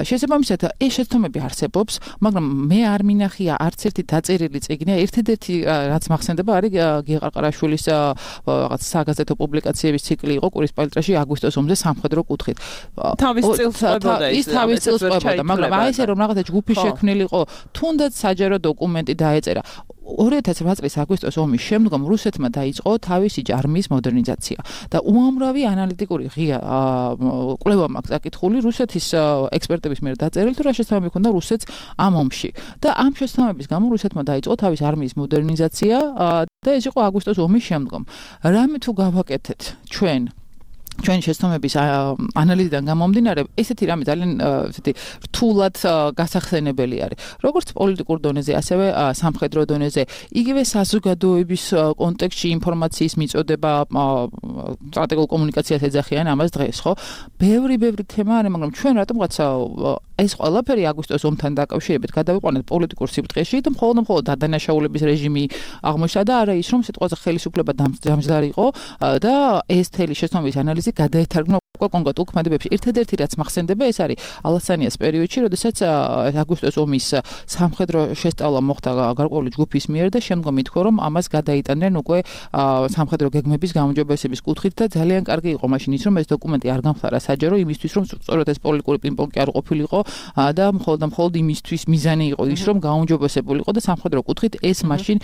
შესაბამისად, ეს შეცდომები არსებობს, მაგრამ მე არ მინახია არც ერთი დაწერილი წიგნი, ერთადერთი რაც მახსენდება არის გიეყარყარაშვილის რაღაც საგაზეთო პუბლიკაციების ციკლი იყო კვირისპალიტრაში აგვისტოს ომზე სამხედრო კუთხით. თავის წილს ყვებოდა ის თავის წილს ყვებოდა, მაგრამ აი ესე რომ რაღაცა ჯგუფი შექმნილიყო, თუნდაც საჯარო დოკუმენტი დაეწერა. ორი ათას რვა წლის აგვისტოს ომის შემდგომ რუსეთმა დაიწყო თავისი არმიის მოდერნიზაცია და უამრავი ანალიტიკური ღია კვლევა მაქვს აკითხული რუსეთის ექსპერტების მიერ დაწერილი, თუ რა შეცდომები ჰქონდა რუსეთს ამ ომში. და ამ შეცდომების გამო რუსეთმა დაიწყო თავის არმიის მოდერნიზაცია და ეს იყო აგვისტოს ომის შემდგომ. რამე თუ გავაკეთეთ ჩვენ ჩვენ შეცდომების ანალიზიდან გამომდინარე, ესეთი რამე ძალიან ესეთი რთულად გასახსენებელი არის. როგორც პოლიტიკურ დონეზე, ასევე სამხედრო დონეზე, იგივე საზოგადოების კონტექსტში ინფორმაციის მიწოდება, სტრატეგიულ კომუნიკაციას ეძახიან ამას დღეს, ხო? ბევრი ბევრი თემა არის, მაგრამ ჩვენ რატომღაც ეს ყველაფერი აგვისტოს ომთან დაკავშირებით გადავიყვანეთ პოლიტიკურ სიბრტყეში და მხოლოდ მხოლოდ დადანაშაულების რეჟიმი აღმოჩნდა და არა ის, რომ სიტყვაზე ხელისუფლება დამჯდარი იყო და ეს თელი შეცდომების ანალიზი გადაეთარგმნა უკვე კონკრეტულ ქმედებებში. ერთადერთი რაც მახსენდება, ეს არის ალასანიას პერიოდში, როდესაც აგვისტოს ომის სამხედრო შესწავლა მოხდა გარკვეული ჯგუფის მიერ და შემდგომ ითქვა, რომ ამას გადაიტანდნენ უკვე სამხედრო გეგმების გაუმჯობესების კუთხით და ძალიან კარგი იყო მაშინ ის, რომ ეს დოკუმენტი არ გამხდარა საჯარო იმისთვის, რომ სწორედ ეს პოლიტიკური პინგ-პონგი არ ყოფილიყო და მხოლოდ და მხოლოდ იმისთვის მიზანი იყო ის, რომ გაუმჯობესებულიყო და სამხედრო კუთხით ეს მაშინ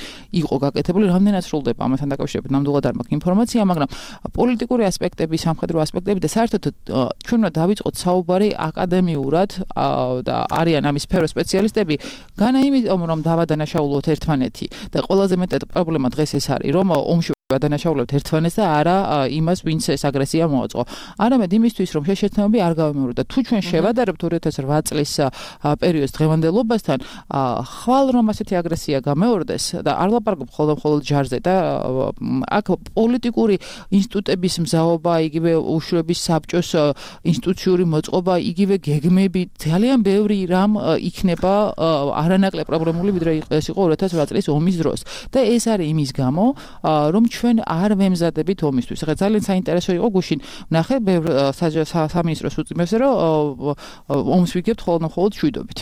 იყო გაკეთებული. რამდენად სრულდება ამასთან დაკავშირებით ნამდვილად არ მაქვს ინფორმაცია, მაგრამ პოლიტიკური ასპექტები, სამხედრო ასპექტები და საერთოდ ჩვენ უნდა დავიწყოთ საუბარი აკადემიურად და არიან ამის სფეროს სპეციალისტები, განა იმიტომ რომ დავადანაშაულოთ ერთმანეთი და ყველაზე მეტად პრობლემა დღეს ეს არის, რომ ომში გადანაშაულებთ ერთმანეთს და არა იმას, ვინც ეს აგრესია მოაწყო. არამედ იმისთვის, რომ შეშეთნებები არ გავიმეოროთ და თუ ჩვენ შევადარებთ ორი ათას რვა წლის პერიოდს დღევანდელობასთან, ხვალ რომ ასეთი აგრესია გამეორდეს და არ ლაპარაკობ მხოლოდ მხოლოდ ჯარზე და აქ პოლიტიკური ინსტიტუტების მზაობა, იგივე უშუალების საბჭოს ინსტიტუციური მოწყობა, იგივე გეგმები, ძალიან ბევრი რამ იქნება არანაკლებ პრობლემული, ვიდრე ეს იყო ორი ათას რვა წლის ომის დროს. და ეს არის იმის გამო, რომ ჩვენ არ ვემზადებით ომისთვის. ახლა ძალიან საინტერესო იყო გუშინ ნახე ბევრ სამინისტროს უწმებს, რომ ომს ვიგებთ ხოლმე მხოლოდ შვიდობით.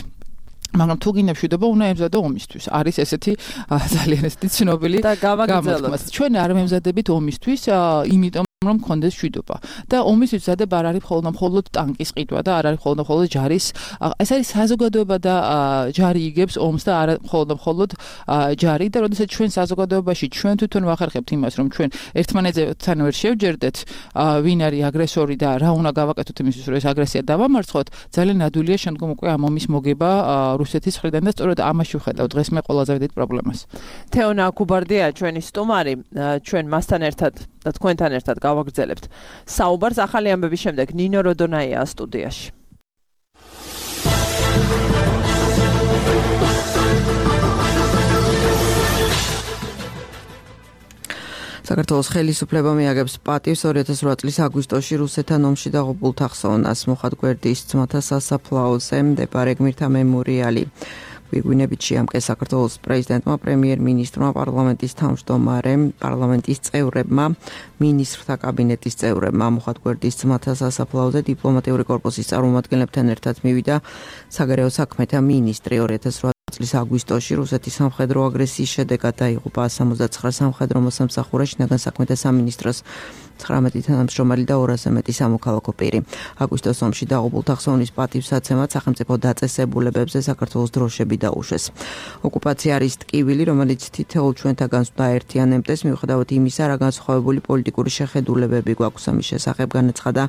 მაგრამ თუ გინდა მშვიდობა, უნდა ემზადო ომისთვის. არის ესეთი ძალიან ესეთი ცნობილი და გავაგრძელოთ. ჩვენ არ ვემზადებით ომისთვის, იმიტომ რომ მქონდეს მშვიდობა. და ომისთვის მზადება არ არის მხოლოდ მხოლოდ ტანკის ყიდვა და არ არის მხოლოდ მხოლოდ ჯარის. ეს არის საზოგადოება და ჯარი იგებს ომს და არა მხოლოდ მხოლოდ ჯარი და როდესაც ჩვენ საზოგადოებაში ჩვენ თვითონ ვახერხებთ იმას, რომ ჩვენ ერთმანეთთან ვერ შევჯერდეთ, ვინ არის აგრესორი და რა უნდა გავაკეთოთ იმისთვის, რომ ეს აგრესია დავამარცხოთ, ძალიან ნადვილია შემდგომ უკვე ამ ომის მოგება რუსეთის მხრიდან და სწორედ ამაში ვხედავ დღეს მე ყველაზე დიდ პრობლემას. თეონა კუბარდია ჩვენი სტუმარი, ჩვენ მასთან ერთად და თქვენთან ერთად გავაგრძელებთ საუბარს ახალი ამბების შემდეგ. ნინო როდონაია სტუდიაში. საქართველოს ხელისუფლება მიაგებს პატივს ორი ათას რვა წლის აგვისტოში რუსეთთან ომში დაღუპულ თანხმოვნას მოხად გვერდის ძმათა სასაფლაოზე მდებარე გმირთა მემორიალი. გვირგვინებით შეამკეს საქართველოს პრეზიდენტმა, პრემიერ-მინისტრმა, პარლამენტის თავმჯდომარემ, პარლამენტის წევრებმა, მინისტრთა კაბინეტის წევრებმა. მოხად გვერდის ძმათა სასაფლაოზე დიპლომატიური კორპუსის წარმომადგენლებთან ერთად მივიდა საგარეო საქმეთა მინისტრი. ორი ათას რვა წლის აგვისტოში რუსეთის სამხედრო აგრესიის შედეგად დაიღუპა სამოცდაცხრა სამხედრო მოსამსახურე, შინაგან საქმეთა სამინისტროს ცხრამეტი თანამშრომელი და ორასზე მეტი სამოქალაქო პირი. აგვისტოს ომში დაღუპულ თანხმოვნის პატივსაცემად სახელმწიფო დაწესებულებებზე საქართველოს დროშები დაუშვეს. ოკუპაცია არის ტკივილი, რომელიც თითოეულ ჩვენთაგანს უნდა აერთიანებდეს, მიუხედავად იმისა, რა განსხვავებული პოლიტიკური შეხედულებები გვაქვს ამის შესახებ, განაცხადა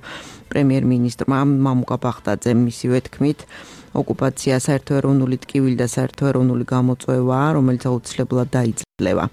პრემიერ-მინისტრმა მამუკა ბახტაძე. მისივე თქმით, ოკუპაცია საერთოეროვნული ტკივილი და საერთოეროვნული გამოწვევაა, რომელიც აუცილებლად დაიძლევა.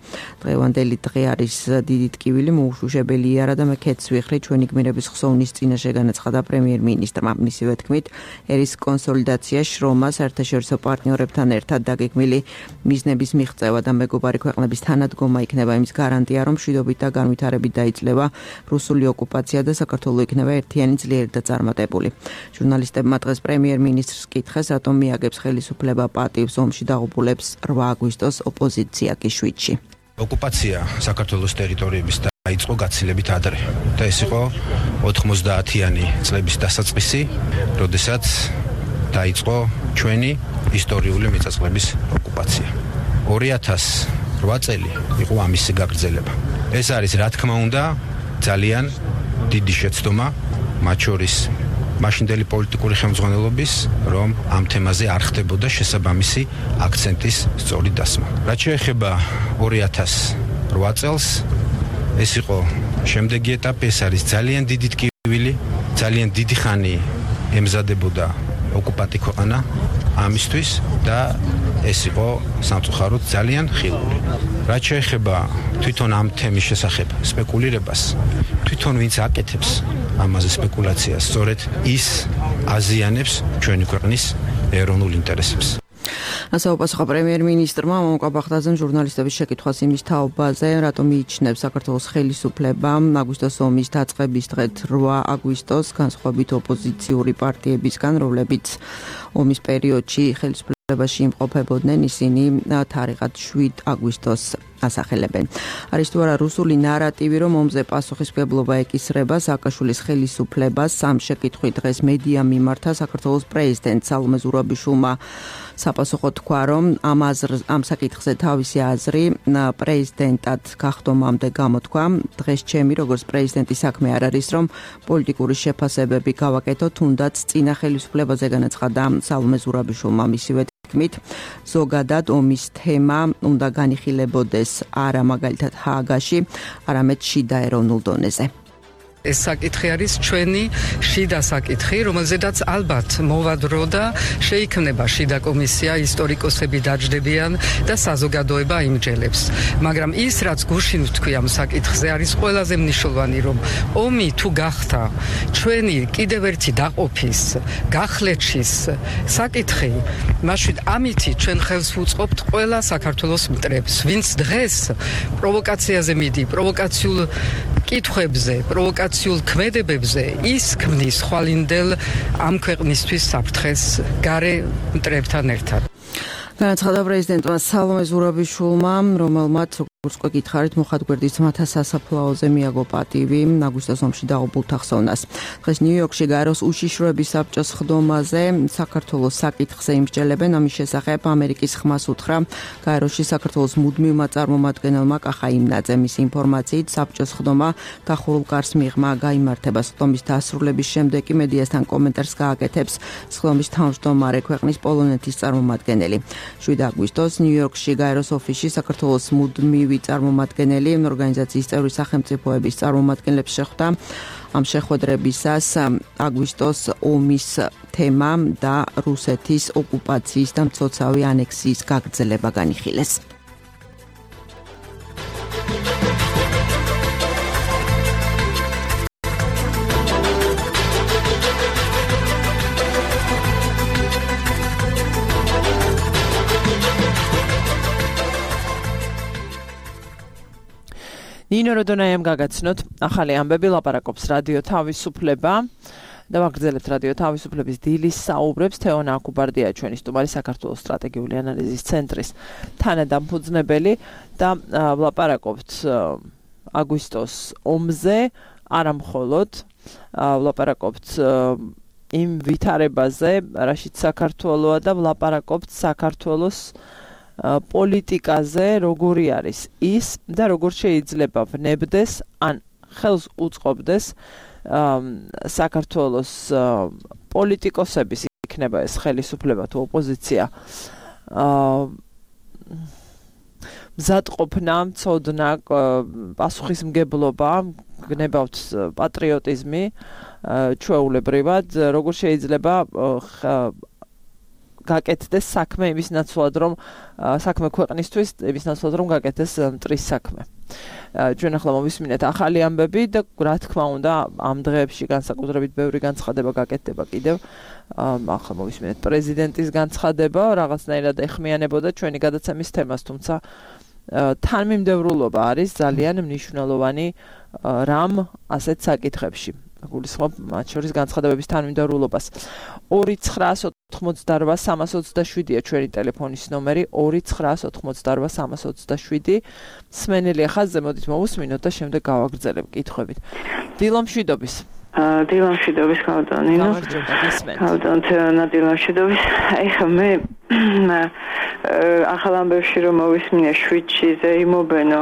დღევანდელი დღე არის დიდი ტკივილი, მოუშვებელია არა და მე ქეთს ვიხრი ჩვენი გმირების ხსოვნის წინაშე, განაცხადა პრემიერ-მინისტრმა. მისივე თქმით, ერის კონსოლიდაცია, შრომა, საერთაშორისო პარტნიორებთან ერთად დაგეგმილი მიზნების მიღწევა და მეგობარი ქვეყნების თანადგომა იქნება იმის გარანტია, რომ მშვიდობით და განვითარებით დაიძლევა რუსული ოკუპაცია და საქართველო იქნება ერთიანი, ძლიერი და წარმატებული. ჟურნალისტებმა დღეს პრემიერ-მინისტრს კითხეს, რატომ მიაგებს ხელისუფლება პატივს ომში დაღუპულებს რვა აგვისტოს ოპოზიცია კიშვიჩი. ოკუპაცია საქართველოს ტერიტორიების დაიწყო გაცილებით ადრე და ეს იყო ოთხმოცდაათიანი წლების დასაწყისი, როდესაც დაიწყო ჩვენი ისტორიული მიწა-წყლების ოკუპაცია. ორი ათას რვა წელი იყო ამისი გაგრძელება. ეს არის, რა თქმა უნდა, ძალიან დიდი შეცდომა, მათ შორის მაშინდელი პოლიტიკური ხელმძღვანელობის, რომ ამ თემაზე არ ხდებოდა შესაბამისი აქცენტის სწორი დასმა. რაც შეეხება ორი ათას რვა წელს, ეს იყო შემდეგი ეტაპი, ეს არის ძალიან დიდი ტკივილი, ძალიან დიდი ხანი ემზადებოდა ოკუპანტი ქვეყანა ამისთვის და ეს იყო სამწუხაროდ ძალიან ხილული. რაც შეეხება თვითონ ამ თემის შესახებ სპეკულირებას, თვითონ ვინც აკეთებს ამაზე სპეკულაციას, სწორედ ის აზიანებს ჩვენი ქვეყნის ეროვნულ ინტერესებს. ასე უპასუხა პრემიერ-მინისტრმა მამუკა ბახტაძემ ჟურნალისტების შეკითხვას იმის თაობაზე, რატომ მიიჩნევს საქართველოს ხელისუფლება აგვისტოს ომის დაწყების დღეთ რვა აგვისტოს განსხვავებით ოპოზიციური პარტიებისგან, რომლებიც ომის პერიოდში ხელისუფლებაში იმყოფებოდნენ, ისინი თარიღად შვიდ აგვისტოს ასახელებენ. არის თუ არა რუსული ნარატივი, რომ ომზე პასუხისმგებლობა ეკისრება სააკაშვილის ხელისუფლებას? ამ შეკითხვით დღეს მედია მიმართა საქართველოს პრეზიდენტ სალომე ზურაბიშვილმა საპასუხო თქვა, რომ ამ აზრ ამ საკითხზე თავისი აზრი პრეზიდენტად გახდომამდე გამოთქვა. დღეს ჩემი როგორც პრეზიდენტის საქმე არ არის, რომ პოლიტიკური შეფასებები გავაკეთო, თუნდაც წინა ხელისუფლებაზე, განაცხადა სალომე ზურაბიშვილმა. მისივე თქმით, ზოგადად ომის თემა უნდა განიხილებოდეს არა მაგალითად ჰააგაში, არამედ შიდა ეროვნულ დონეზე. ეს საკითხი არის ჩვენი შიდა საკითხი, რომელზედაც ალბათ მოვადრო და შეიქმნება შიდა კომისია, ისტორიკოსები დაჯდებიან და საზოგადოება იმჯელებს. მაგრამ ის, რაც გუშინ ვთქვი ამ საკითხზე, არის ყველაზე მნიშვნელოვანი, რომ ომი თუ გახდა ჩვენი კიდევ ერთი დაყოფის, გახლეჩის საკითხი, მაშინ ამითი ჩვენ ხელს ვუწყობთ ყველა საქართველოს მტრებს, ვინც დღეს პროვოკაციაზე მიდი, პროვოკაციულ კითხვებზე, პროვოკაციულ ქმედებებზე ის ქმნის ხვალინდელ ამ ქვეყნისთვის საფრთხეს გარე მტრებთან ერთად. განაცხადა პრეზიდენტმა სალომე ზურაბიშვილმა, რომელმაც როგორც უკვე გითხარით, მოხატგვერდის ძმათა სასაფლაოზე მიაგო პატივი აგვისტოს ომში დაღუპულ თახსოვნას. დღეს ნიუ-იორკში გაეროს უშიშროების საბჭოს ხდომაზე საქართველოს საკითხზე იმსჯელებენ, ამის შესახებ ამერიკის ხმას უთხრა გაეროში საქართველოს მუდმივმა წარმომადგენელმა კახა იმნაძემ. მის ინფორმაციით საბჭოს ხდომა დახურულ კარს მიღმა გაიმართება. ხდომის დასრულების შემდეგ კი მედიასთან კომენტარს გააკეთებს ხდომის თავმჯდომარე ქვეყნის პოლონეთის წარმომადგენელი. შვიდი აგვისტოს ნიუ-იორკში გაეროს ოფისში საქართველოს მუდმივი წარმომადგენელი ორგანიზაციის წევრი სახელმწიფოების წარმომადგენლებს შეხვდა. ამ შეხვედრებისას აგვისტოს ომის თემა და რუსეთის ოკუპაციის და მცოცავი ანექსიის გაგრძელება განიხილეს. ნინო როდონაიამ გაგაცნოთ ახალი ამბები, ლაპარაკობს რადიო თავისუფლება და ვაგრძელებთ რადიო თავისუფლების დილის საუბრებს. თეონა აკუბარდია ჩვენი სტუმარი, საქართველოს სტრატეგიული ანალიზის ცენტრის თანადამფუძნებელი და ვლაპარაკობთ აგვისტოს ომზე, არა მხოლოდ ვლაპარაკობთ იმ ვითარებაზე, რაშიც საქართველოა და ვლაპარაკობთ საქართველოს პოლიტიკაზე, როგორი არის ის და როგორ შეიძლება ვნებდეს ან ხელს უწყობდეს საქართველოს პოლიტიკოსების, იქნება ეს ხელისუფლება თუ ოპოზიცია, მზადყოფნა, მცოდნა, პასუხისმგებლობა, გნებავთ პატრიოტიზმი ჩვეულებრივად, როგორ შეიძლება გაკეთდეს საქმე იმის ნაცვლად, რომ საქმე ქვეყნისთვის იმის ნაცვლად, რომ გაკეთდეს მტრის საქმე. ჩვენ ახლა მოვისმინეთ ახალი ამბები და რა თქმა უნდა ამ დღეებში განსაკუთრებით ბევრი განცხადება გაკეთდება კიდევ. ახლა მოვისმინეთ პრეზიდენტის განცხადება, რაღაცნაირად ეხმიანებოდა ჩვენი გადაცემის თემას, თუმცა თანმიმდევრულობა არის ძალიან მნიშვნელოვანი რამ ასეთ საკითხებში. გულისხმობ მათ შორის განცხადებების თანმიმდევრულობას. ორი ცხრაას ოთხმოცდარვა სამას ოცდაშვიდია ჩვენი ტელეფონის ნომერი, ორი ცხრაას ოთხმოცდარვა სამას ოცდაშვიდი. სმენელი ხაზზე მოდით მოვუსმინოთ და შემდეგ გავაგრძელებ კითხვებით. დილო მშვიდობის. დილო მშვიდობის კავდონინო. კავდონ თეონა დილო მშვიდობის. ეხლა მე ახალ ამბებში რომ მოვისმინე შვიდში ზეიმობენო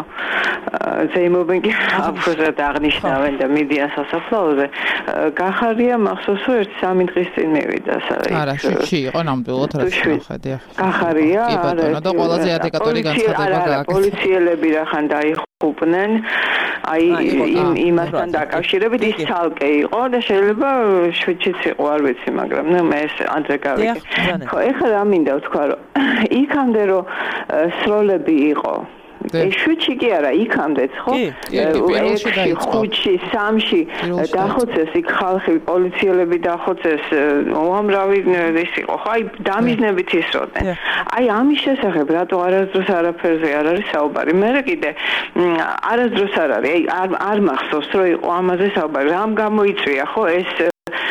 ზეიმობენ კი აფხაზად აღნიშნავენ და მედია სასაფლაოზე გახარია მახსოვს რომ ერთ სამი დღის წინ მივიდა საერთოდ არა შვიდში იყო ნამდვილად რაც ნახედი გახარია კი ბატონო და ყველაზე ადეკატური განცხადება გააკეთა პოლიციელები რახან დაიხუპნენ აი იმ იმასთან დაკავშირებით ის ცალკე იყო და შეიძლება შვიდშიც იყო არ ვიცი მაგრამ ნუ მე ეს ადრე გავიგე ხო ეხლა რა მინდა ვთქვა რომ იქამდე რომ სროლები იყო ეს შვიდში კი არა იქამდეც ხო ექვსში ხუთში სამში დახოცეს იქ ხალხი პოლიციელები დახოცეს უამრავი ის იყო ხო აი დამიზნებით ისროდნენ აი ამის შესახებ რატო არასდროს არაფერზე არ არის საუბარი მე კიდე არასდროს არ არის აი არ არ მახსოვს რომ იყო ამაზე საუბარი რამ გამოიწვია ხო ეს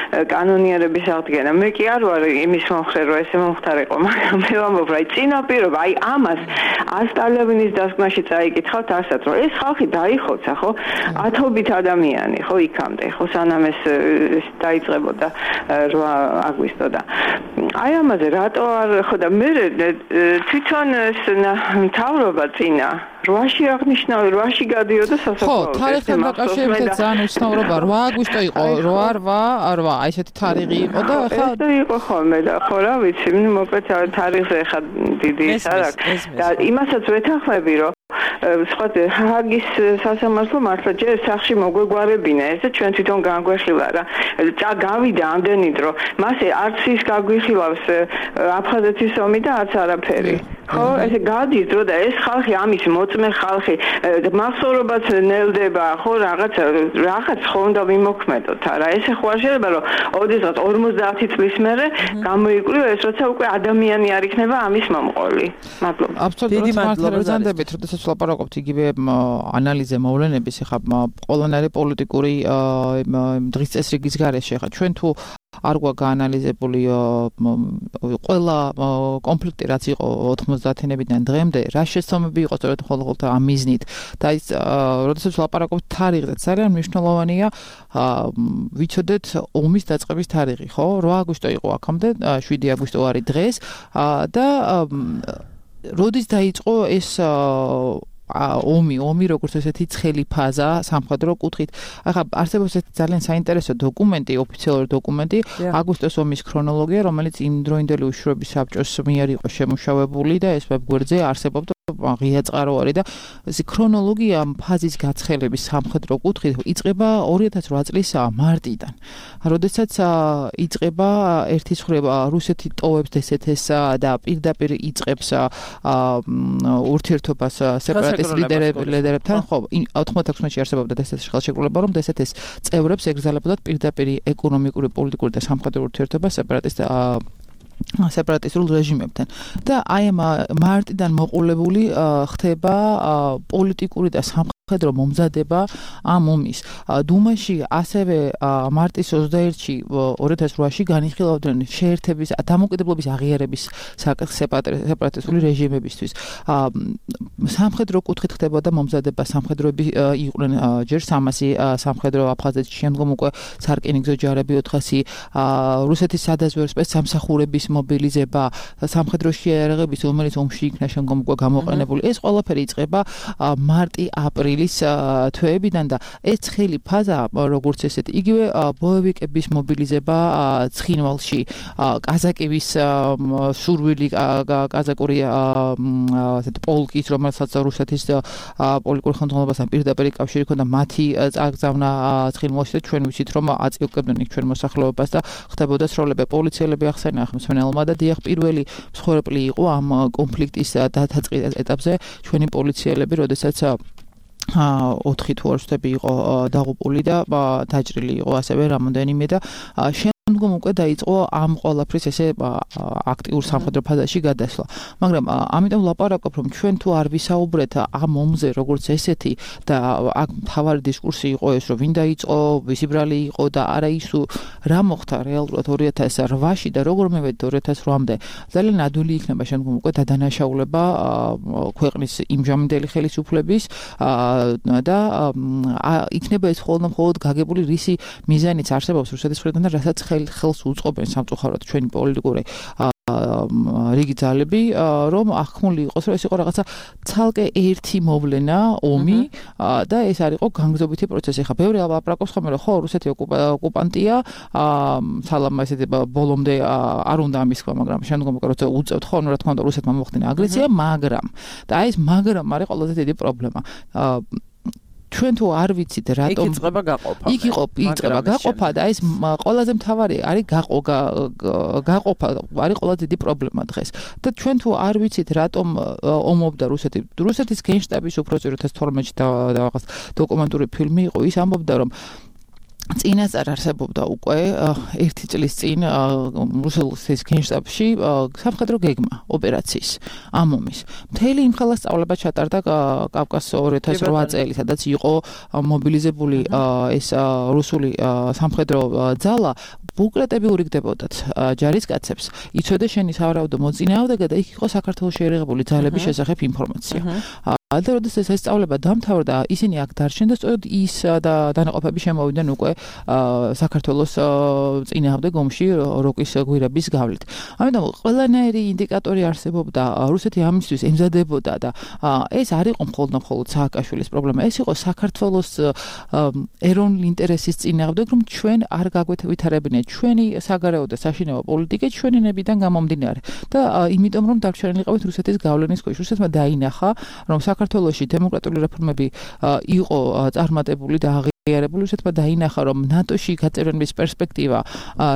კანონიერების აღდგენა. მე კი არ ვარ იმის მომხრე, რომ ესე მომხდარიყო, მაგრამ მე ვამბობ, აი წინაპირობა, აი ამას ასტალებინის დასკვნაში წაიკითხავთ ასად, რომ ეს ხალხი დაიხოცა, ხო? ათობით ადამიანი, ხო, იქამდე, ხო, სანამ ეს დაიწყებოდა რვა აგვისტო და აი ამაზე რატო არ ხო და მე თვითონ ეს მთავრობა წინა რვაში აღნიშნავი, რვაში გადიოდა სასაფლაოზე. ხო, თარიღთან დაკავშირებით ძალიან უცნაურობა რვა აგვისტო იყო, რვა რვა რვა, აი ესეთი თარიღი იყო და ახლა ეს იყო ხოლმე და ხო რა ვიცი, მოკლედ თარიღზე ხა დიდი ის არ აქვს და იმასაც ვეთანხმები, რომ სხვა ჰაგის სასამართლო მართლა ჯერ სახში მოგვეგვარებინა ეს და ჩვენ თვითონ განგვეხილა რა წა გავიდა ამდენი დრო მასე არც ის გაგვიხილავს აფხაზეთის ომი და არც არაფერი ხო ესე გადის დრო და ეს ხალხი ამის მოწმე ხალხი მახსოვრობაც ნელდება ხო რაღაც რაღაც ხო უნდა ვიმოქმედოთ არა ესე ხო არ შეიძლება რომ ოდესღაც ორმოცდაათი წლის მერე გამოიკვლიო ეს როცა უკვე ადამიანი არ იქნება ამის მომყოლი მადლობა აბსოლუტურად მართლობთ როდესაც ვლაპარაკობთ იგივე ანალიზზე მოვლენების ხა ყველანაირი პოლიტიკური დღის წესრიგის გარეშე ხა ჩვენ თუ არ გვაქვს გაანალიზებული ყველა კონფლიქტი რაც იყო ოთხმოცდაათიანებიდან დღემდე რა შეცდომები იყო სწორედ ხოლმე ამ მიზნით და ის როდესაც ვლაპარაკობთ თარიღზე ძალიან მნიშვნელოვანია ვიცოდეთ ომის დაწყების თარიღი ხო რვა აგვისტო იყო აქამდე შვიდი აგვისტო არის დღეს და როდის დაიწყო ეს ომი, ომი როგორც ესეთი ცხელი ფაზა სამხედრო კუთხით. ახლა არსებობს ესეთი ძალიან საინტერესო დოკუმენტი, ოფიციალური დოკუმენტი, აგვისტოს ომის ქრონოლოგია, რომელიც იმდროინდელი უშუალობის საბჭოს მიერ იყო შემუშავებული და ეს ვებგვერდზე არსებობდა ღია წყაროარი და ეს ქრონოლოგია ფაზის გაცხელების სამხედრო კუთხით იწყება ორი ათას რვა წლის მარტიდან. როდესაც იწყება ერთი ცხრა რუსეთი ტოვებს დსთ-ს და პირდაპირ იწყებს ურთიერთობას სეპარატისტ ლიდერებთან, ხო, ოთხმოცდაექვსში არსებობდა დსთ-ში ხელშეკრულება, რომ დსთ-ს წევრებს ეგზალებოდათ პირდაპირ ეკონომიკური, პოლიტიკური და სამხედრო ურთიერთობა სეპარატისტ სეპარატისტულ რეჟიმებთან და აი ამ მარტიდან მოყოლებული ხდება პოლიტიკური და სამხედრო მომზადება ამ ომის. დუმაში ასევე მარტის ოცდაერთში ორი ათას რვაში განიხილავდნენ შეერთების დამოუკიდებლობის აღიარების სეპარატისტული რეჟიმებისთვის. სამხედრო კუთხით ხდებოდა მომზადება სამხედროები იყვნენ ჯერ სამასი სამხედრო აფხაზეთში შემდგომ უკვე სარკინიგზო ჯარები ოთხასი რუსეთის სადაზვერვო სპეცსამსახურების მობილიზება სამხედრო შეიარაღების რომელიც ომში იქნა შემდგომ უკვე გამოყენებული ეს ყველაფერი იწყება მარტი-აპრილის თვეებიდან და ეს ცხელი ფაზა როგორც ესეთი იგივე ბოევიკების მობილიზება ცხინვალში კაზაკების სურვილი კაზაკური ასეთ პოლკის რომელსაც რუსეთის პოლიტიკურ ხელმძღვანელობასთან პირდაპირ კავშირი ჰქონდა მათი წაგზავნა ცხინვალში და ჩვენ ვიცით რომ აწიოებდნენ იქ ჩვენ მოსახლეობას და ხდებოდა სროლები პოლიციელები ახსენა ხმსმენელმა და დიახ პირველი მსხვერპლი იყო ამ კონფლიქტის დათაწყის ეტაპზე ჩვენი პოლიციელები როდესაც ოთხი თუ არ ვცდები იყო დაღუპული და დაჭრილი იყო ასევე რამოდენიმე და შემდგომ უკვე დაიწყო ამ ყველაფრის ესე აქტიურ სამხედრო ფაზაში გადასვლა. მაგრამ ამიტომ ვლაპარაკობ რომ ჩვენ თუ არ ვისაუბრეთ ამ ომზე როგორც ესეთი და აქ მთავარი დისკურსი იყო ეს რომ ვინ დაიწყო, ვისი ბრალი იყო და არა ის რა მოხდა რეალურად ორი ათას რვაში და როგორ მივედით ორი ათას რვამდე ძალიან ადვილი იქნება შემდგომ უკვე დადანაშაულება ქვეყნის იმჟამინდელი ხელისუფლების და იქნება ეს ხოლმე მხოლოდ გაგებული რისი მიზანიც არსებობს რუსეთის მხრიდან და რასაც ხელს უწყობენ სამწუხაროდ ჩვენი პოლიტიკური რიგი ძალები რომ ახმული იყოს რომ ეს იყო რაღაცა ცალკე ერთი მოვლენა ომი და ეს არ იყო განგზობითი პროცესი. ხა ბევრი აპრაკობს ხოლმე რომ ხო რუსეთი ოკუპანტია სალამა ესეთი ბოლომდე არ უნდა ამის თქვა მაგრამ შემდგომ უკვე როცა უწევთ ხო რა თქმა უნდა რუსეთმა მოახდინა აგრესია მაგრამ და აი ეს მაგრამ არის ყველაზე დიდი პრობლემა. ჩვენ თუ არ ვიცით რატომ იწყება გაყოფა. იქ იყო იწყება გაყოფა და ეს ყველაზე მთავარი არის გაყოფა არის ყველაზე დიდი პრობლემა დღეს. და ჩვენ თუ არ ვიცით რატომ ომობდა რუსეთი რუსეთის გენშტაბის უფროსი ორი ათას თორმეტში და რაღაც დოკუმენტური ფილმი იყო ის ამბობდა რომ წინასწარ არსებობდა უკვე ერთი წლის წინ რუსეთის გენშტაბში სამხედრო გეგმა ოპერაციის ამ ომის. მთელი იმ ხელა სწავლება ჩატარდა კავკასიის ორი ათას რვა წელი, სადაც იყო მობილიზებული ეს რუსული სამხედრო ძალა ბუკრეტები ურიგდებოდათ ჯარისკაცებს. იცოდე შენი სავარაუდო მოწინააღმდეგე და იქ იყო საქართველოს შეერაღებული ძალების შესახებ ინფორმაცია. და როდესაც ეს სწავლება დამთავრდა, ისინი აქ დარჩნენ და სწორედ ის და დანაყოფები შემოვიდნენ უკვე საქართველოს წინააღმდეგ ომში როკის გვირაბის გავლით. ამიტომ ყველანაირი ინდიკატორი არსებობდა, რუსეთი ამისთვის ემზადებოდა და ეს არ იყო მხოლოდ სააკაშვილის პრობლემა, ეს იყო საქართველოს ეროვნული ინტერესის წინააღმდეგ, რომ ჩვენ არ გაგვეთვითარებინეთ ჩვენი საგარეო და საშინაო პოლიტიკა ჩვენი ნებიდან გამომდინარე. და იმიტომ რომ დარჩენილიყავით რუსეთის გავლენის ქვეშ, რუსეთმა დაინახა, რომ საქართველოში დემოკრატიული რეფორმები იყო წარმატებული და აღიარებული, უშეთმა დაინახა, რომ ნატოში გაწევრების პერსპექტივა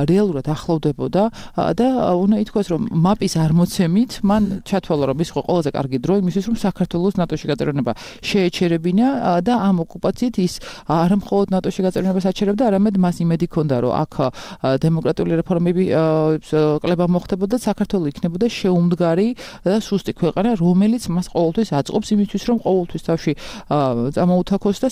რეალურად ახლოვდებოდა და უნდა ითქვას, რომ მაპისარმოცემით მან ჩათვალა, რომ ის იყო ყველაზე კარგი დრო იმისთვის, რომ საქართველოს ნატოში გაწევრება შეეჩერებინა და ამ ოკუპაციით ის არა მხოლოდ ნატოში გაწევრებას აჩერებდა, არამედ მას იმედი ჰქონდა, რომ აქ დემოკრატიული რეფორმები კლება მოხდებოდა, საქართველო იქნებოდა შეუმდგარი და სუსტი ქვეყანა, რომელიც მას ყოველთვის აწყობს იმისთვის, რომ ყოველთვის თავში წამოუთაქოს და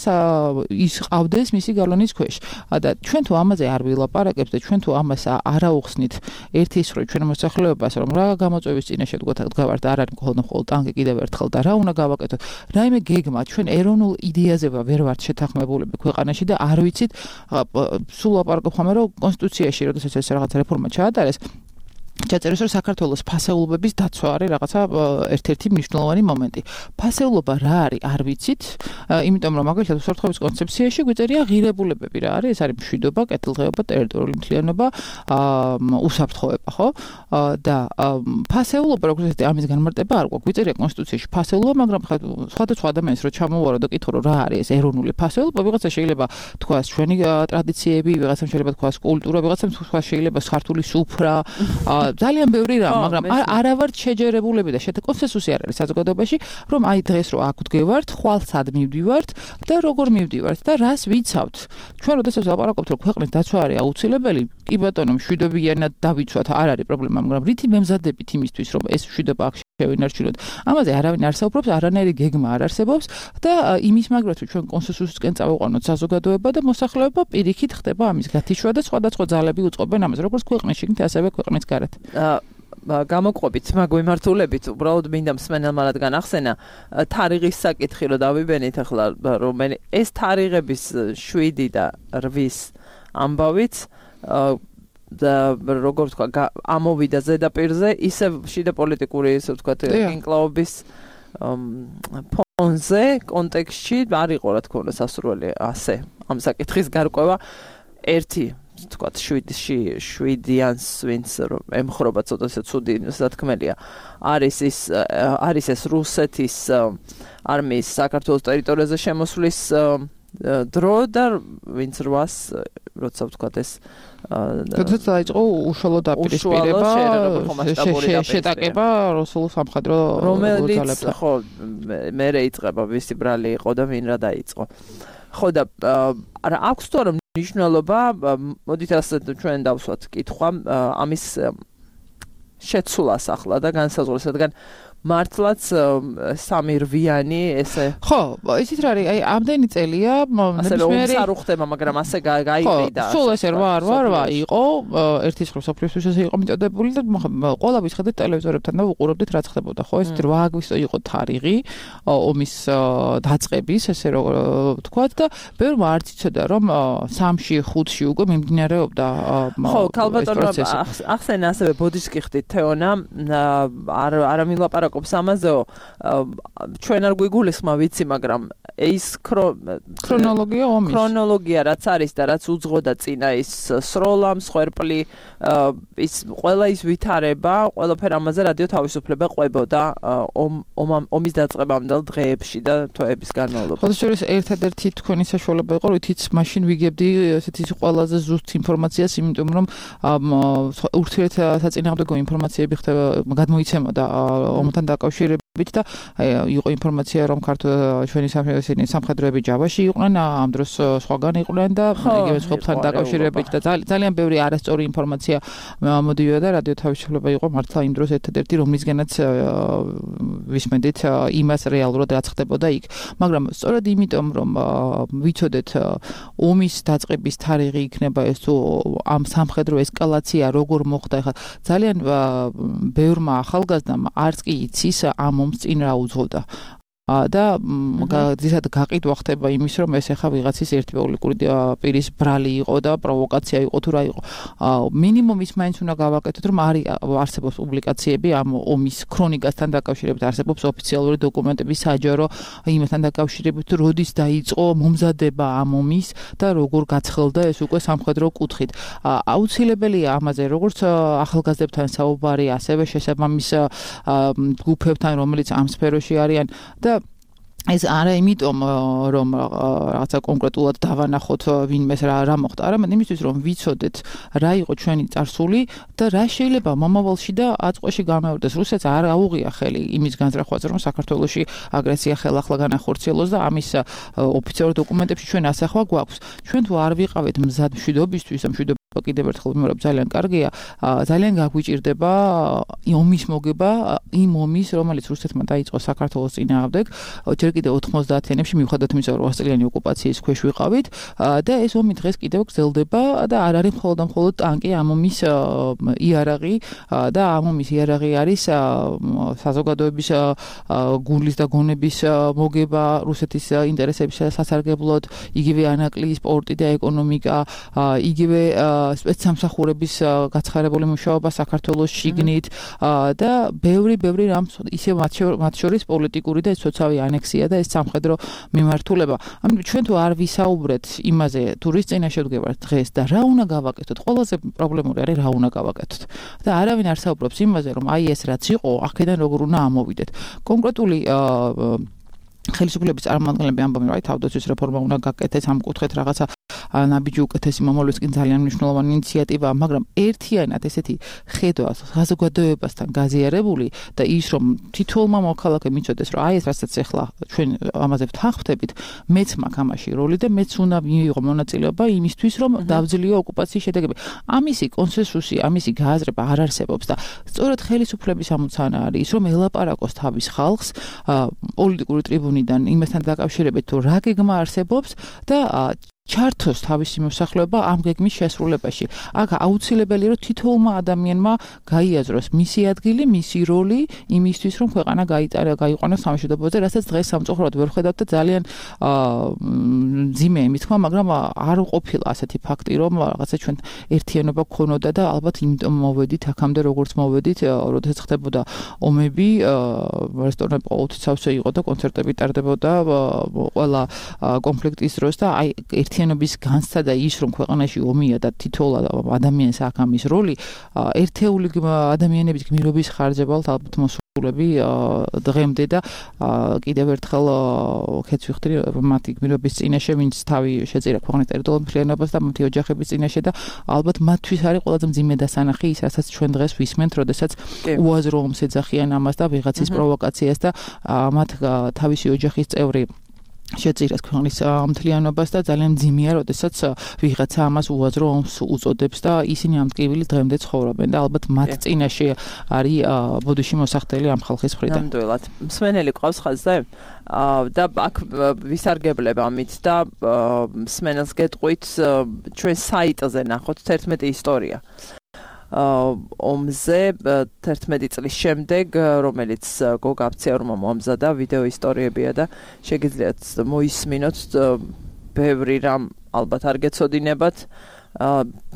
ის ყავდეს მისი გალონის ქვეშ. და ჩვენ თუ ამაზე არ ვილაპარაკებთ და ჩვენ თუ ამას არ აუხსნით ერთის რო ჩვენ მოსახლეობას, რომ რა გამოწვევის წინაშე დგავართ, არ არის მხოლოდ მხოლოდ ტანკი კიდევ ერთხელ და რა უნდა გავაკეთოთ. რაიმე გეგმა ჩვენ ეროვნულ იდეაზე ვერ ვართ შეთანხმებულები ქვეყანაში და არ ვიცით სულ ლაპარაკობ ხომ რომ კონსტიტუციაში როდესაც ეს რაღაც რეფორმა ჩაატარეს ჩაწერეს, რომ საქართველოს ფასეულობების დაცვა არის რაღაცა ერთ-ერთი მნიშვნელოვანი მომენტი. ფასეულობა რა არის, არ ვიცით, იმიტომ რომ მაგალითად უსაფრთხოების კონცეფციაში გვიწერია ღირებულებები რა არის, ეს არის მშვიდობა, კეთილდღეობა, ტერიტორიული მთლიანობა, უსაფრთხოება, ხო? და ფასეულობა როგორც ეს ამის განმარტება არ გვაქვს. გვიწერია კონსტიტუციაში ფასეულობა, მაგრამ სხვადასხვა ადამიანს რო ჩამოვარო და კითხო რომ რა არის ეს ეროვნული ფასეულობა, ვიღაცა შეიძლება თქვას ჩვენი ტრადიციები, ვიღაცამ შეიძლება თქვას კულტურა, ვიღაცამ თქვას შეიძლება ქართული სუფრა, ძალიან ბევრი რამ, მაგრამ არა ვართ შეჯერებულები და კონსენსუსი არ არის საზოგადოებაში, რომ აი დღეს რო აქ ვდგევართ, ხვალ სად მივდივართ და როგორ მივდივართ და რას ვიცავთ. ჩვენ როდესაც ლაპარაკობთ, რომ ქვეყნის დაცვა არის აუცილებელი, კი ბატონო, მშვიდობიანად დავიცვათ, არ არის პრობლემა, მაგრამ რითი მემზადებით იმისთვის, რომ ეს მშვიდობა აქ შევინარჩუნოთ. ამაზე არავინ არ საუბრობს, არანაირი გეგმა არ არსებობს და იმის მაგრად რომ ჩვენ კონსენსუსისკენ წავიყვანოთ საზოგადოება და მოსახლეობა პირიქით ხდება ამის გათიშვა და სხვადასხვა ძალები უწყობენ ამას, როგორც ქვეყნის შიგნით, ასევე ქვეყნის გარეთ. გამოყვებით მაგვიმართულებით, უბრალოდ მინდა მსმენელმა რადგან ახსენა თარიღის საკითხი რომ დავიბენით ახლა, რომ ეს თარიღების შვიდი და რვის ამბავიც და როგორ თქვა ამოვიდა ზედაპირზე, ისე შიდა პოლიტიკური, ესე ვთქვათ, ინკლაობის ფონზე, კონტექსტში არ იყო რა თქმა უნდა სასურველი ასე ამ საკითხის გარკვევა ერთი თქვათ შვიდიანს ვინც ემხრობა ცოტა ცუდი სათქმელია არის ის არის ეს რუსეთის არმიის საქართველოს ტერიტორიაზე შემოსვლის დრო და ვინც რვას როცა ვთქვათ ეს როდესაც დაიწყო უშუალო დაპირისპირება შეტაკება რუსულ სამხედრო რომელიც ხო მერე იწყება ვისი ბრალი იყო და ვინ რა დაიწყო ხო და არა აქვს თუ არა მნიშვნელობა მოდით ასე ჩვენ დავსვათ კითხვა ამის შეცვლას ახლა და განსაზღვრას რადგან მართლაც სამი რვიანი ესე ხო ისიც რა არის აი ამდენი წელია ნებისმიერი არ უხდება მაგრამ ასე გაიყიდა სულ ესე რვა რვა იყო ერთის ხრო სოფლიოსთვის ესე იყო მიტოდებული და ყველა ვისხედეთ ტელევიზორებთან და ვუყურებდით რა ხდებოდა ხო ეს რვა აგვისტო იყო თარიღი ომის დაწყების ესე რომ ვთქვათ და ბევრმა არც იცოდა რომ სამში ხუთში უკვე მიმდინარეობდა ხო ქალბატონო ახსენა ასევე ბოდიშკი ხდით თეონა არ არ მილაპარაკ ყოფს ამაზეო ჩვენ არ გვიგულისხმა ვიცი მაგრამ ის ქრონოლოგია ომის ქრონოლოგია რაც არის და რაც უძღოდა წინა ის სროლა მსხვერპლი ის ყველა ის ვითარება ყველაფერ ამაზე რადიო თავისუფლება ყვებოდა ომის დაწყებამდელ დღეებში და თვეების განმავლობაში ხო შეიძლება ერთადერთი თქვენი საშუალება იყო რითიც მაშინ ვიგებდი ესეთი ყველაზე ზუსტ ინფორმაციას იმიტომ რომ ურთიერთსაწინააღმდეგო ინფორმაციები ხდება გადმოიცემოდა ომთან დაკავშირებით და იყო ინფორმაცია რომ ქართულ ჩვენი სამხედროები ჯავაში იყვნენ ამ დროს სხვაგან იყვნენ და იგივე სხვებთან დაკავშირებით და ძალიან ბევრი არასწორი ინფორმაცია მოდიოდა და რადიო თავისუფლება იყო მართლა იმ დროს ერთადერთი რომლისგანაც ვისმენდით იმას რეალურად რაც ხდებოდა იქ მაგრამ სწორედ იმიტომ რომ ვიცოდეთ ომის დაწყების თარიღი იქნება ეს თუ ამ სამხედრო ესკალაცია როგორ მოხდა ხა ძალიან ბევრმა ახალგაზრდამ არც კი იცის ამ ომს წინ რა უძღოდა და ძირითადად გაყიდვა ხდება იმის რომ ეს ახლა ვიღაცის ერთპოლიტიკური პირის ბრალი იყო და პროვოკაცია იყო თუ რა იყო მინიმუმ ის მაინც უნდა გავაკეთოთ რომ არის არსებობს პუბლიკაციები ამ ომის ქრონიკასთან დაკავშირებით არსებობს ოფიციალური დოკუმენტები საჯარო იმასთან დაკავშირებით როდის დაიწყო მომზადება ამ ომის და როგორ გაცხელდა ეს უკვე სამხედრო კუთხით აუცილებელია ამაზე როგორც ახალგაზრდებთან საუბარი ასევე შესაბამის ჯგუფებთან რომელიც ამ სფეროში არიან და ეს არა იმიტომ რომ რაღაცა კონკრეტულად დავანახოთ ვინმეს რა რა მოხდა, არამედ იმისთვის რომ ვიცოდეთ რა იყო ჩვენი წარსული და რა შეიძლება მომავალში და აწყვეში გამეორდეს. რუსეთს არ აუღია ხელი იმის განზრახვაზე, რომ საქართველოში აგრესია ხელახლა განახორციელოს და ამის ოფიციალურ დოკუმენტებში ჩვენ ასახვა გვაქვს. ჩვენ თუ არ ვიყავით მზად მშვიდობისთვის, მშვიდობა კიდევ ერთხელ ვიმეორებ ძალიან კარგია, ძალიან გაგვიჭირდება ომის მოგება, იმ ომის, რომელიც რუსეთმა დაიწყო საქართველოს წინააღმდეგ, ჯერ კიდევ ოთხმოცდაათიანებში მიუხედავად იმისა, რომ ოცწლიანი ოკუპაციის ქვეშ ვიყავით და ეს ომი დღეს კიდევ გრძელდება და არ არის მხოლოდ და მხოლოდ ტანკი, ამ ომის იარაღი და ამ ომის იარაღი არის საზოგადოების გულის და გონების მოგება რუსეთის ინტერესების სასარგებლოდ, იგივე ანაკლიის სპორტი და ეკონომიკა, იგივე სპეცსამსახურების გაცხარებული მუშაობა საქართველოს შიგნით და ბევრი ბევრი რამ ისე მათ შორის პოლიტიკური და სოციალური ანექსია და ეს სამხედრო მიმართულება. ამიტომ ჩვენ თუ არ ვისაუბრეთ იმაზე, თუ რის წინაშე ვდგებართ დღეს და რა უნდა გავაკეთოთ, ყველაზე პრობლემური არის რა უნდა გავაკეთოთ. და არავინ არ საუბრობს იმაზე, რომ აი ეს რაც იყო, აქედან როგორ უნდა ამოვიდეთ. კონკრეტული ხელისუფლების წარმომადგენლები ამბობენ, რომ აი თავდაცვის რეფორმა უნდა გაკეთდეს, ამ კუთხით რაღაცა ნაბიჯი უკეთესი მომავლისკენ ძალიან მნიშვნელოვანი ინიციატივაა, მაგრამ ერთიანად ესეთი ხედვა საზოგადოებასთან გაზიარებული და ის რომ თითოეულმა მოქალაქემ იცოდეს, რომ აი ეს რასაც ახლა ჩვენ ამაზე ვთანხმდებით, მეც მაქვს ამაში როლი და მეც უნდა მიიღო მონაწილეობა იმისთვის, რომ დავძლიო ოკუპაციის შედეგები. ამისი კონსენსუსი, ამისი გააზრება არ არსებობს და სწორედ ხელისუფლების ამოცანა არის ის, რომ ელაპარაკოს თავის ხალხს პოლიტიკური ტრიბუნიდან იმასთან დაკავშირებით, თუ რა გეგმა არსებობს და ჩართოს თავისი მოსახლეობა ამ გეგმის შესრულებაში. აქ აუცილებელია, რომ თითოეულმა ადამიანმა გაიაზროს მისი ადგილი, მისი როლი იმისთვის, რომ ქვეყანა გაიტარა, გაიყვანოს სამშვიდობოზე, რასაც დღეს სამწუხაროდ ვერ ხედავთ და ძალიან მძიმეა იმის თქმა, მაგრამ არ ყოფილა ასეთი ფაქტი, რომ რაღაცა ჩვენ ერთიანობა გქონოდა და ალბათ იმიტომ მოვედით აქამდე როგორც მოვედით, როდესაც ხდებოდა ომები, რესტორნები ყოველთვის სავსე იყო და კონცერტები ტარდებოდა ყველა კონფლიქტის დროს და აი ერთიანობის განცდა და ის რომ ქვეყანაში ომია და თითოეულ ადამიანს აქვს ამის როლი, ერთეული ადამიანების გმირობის ხარჯებალთ ალბათ მოსულები დღემდე და კიდევ ერთხელ ხეც ვიხდრი მათი გმირობის წინაშე, ვინც თავი შეწირა ქვეყნის ტერიტორიულ მთლიანობას და მათი ოჯახების წინაშე და ალბათ მათთვის არის ყველაზე მძიმე დასანახი ის, რასაც ჩვენ დღეს ვისმენთ, როდესაც უაზრო ომს ეძახიან ამას და ვიღაცის პროვოკაციას და მათ თავისი ოჯახის წევრი შეწირეს ქვეყნის მთლიანობას და ძალიან მძიმეა, როდესაც ვიღაცა ამას უაზრო ომს უწოდებს და ისინი ამ ტკივილი დღემდე ცხოვრობენ და ალბათ მათ წინაშე არის ბოდიში მოსახდელი ამ ხალხის მხრიდან. ნამდვილად. მსმენელი ყავს ხაზზე და აქ ვისარგებლებ ამით და მსმენელს გეტყვით ჩვენ საიტზე ნახოთ თერთმეტი ისტორია. ომზე თერთმეტი წლის შემდეგ, რომელიც გოგა აფციარმა მოამზადა, ვიდეო ისტორიებია და შეგიძლიათ მოისმინოთ ბევრი რამ ალბათ არ გეცოდინებათ,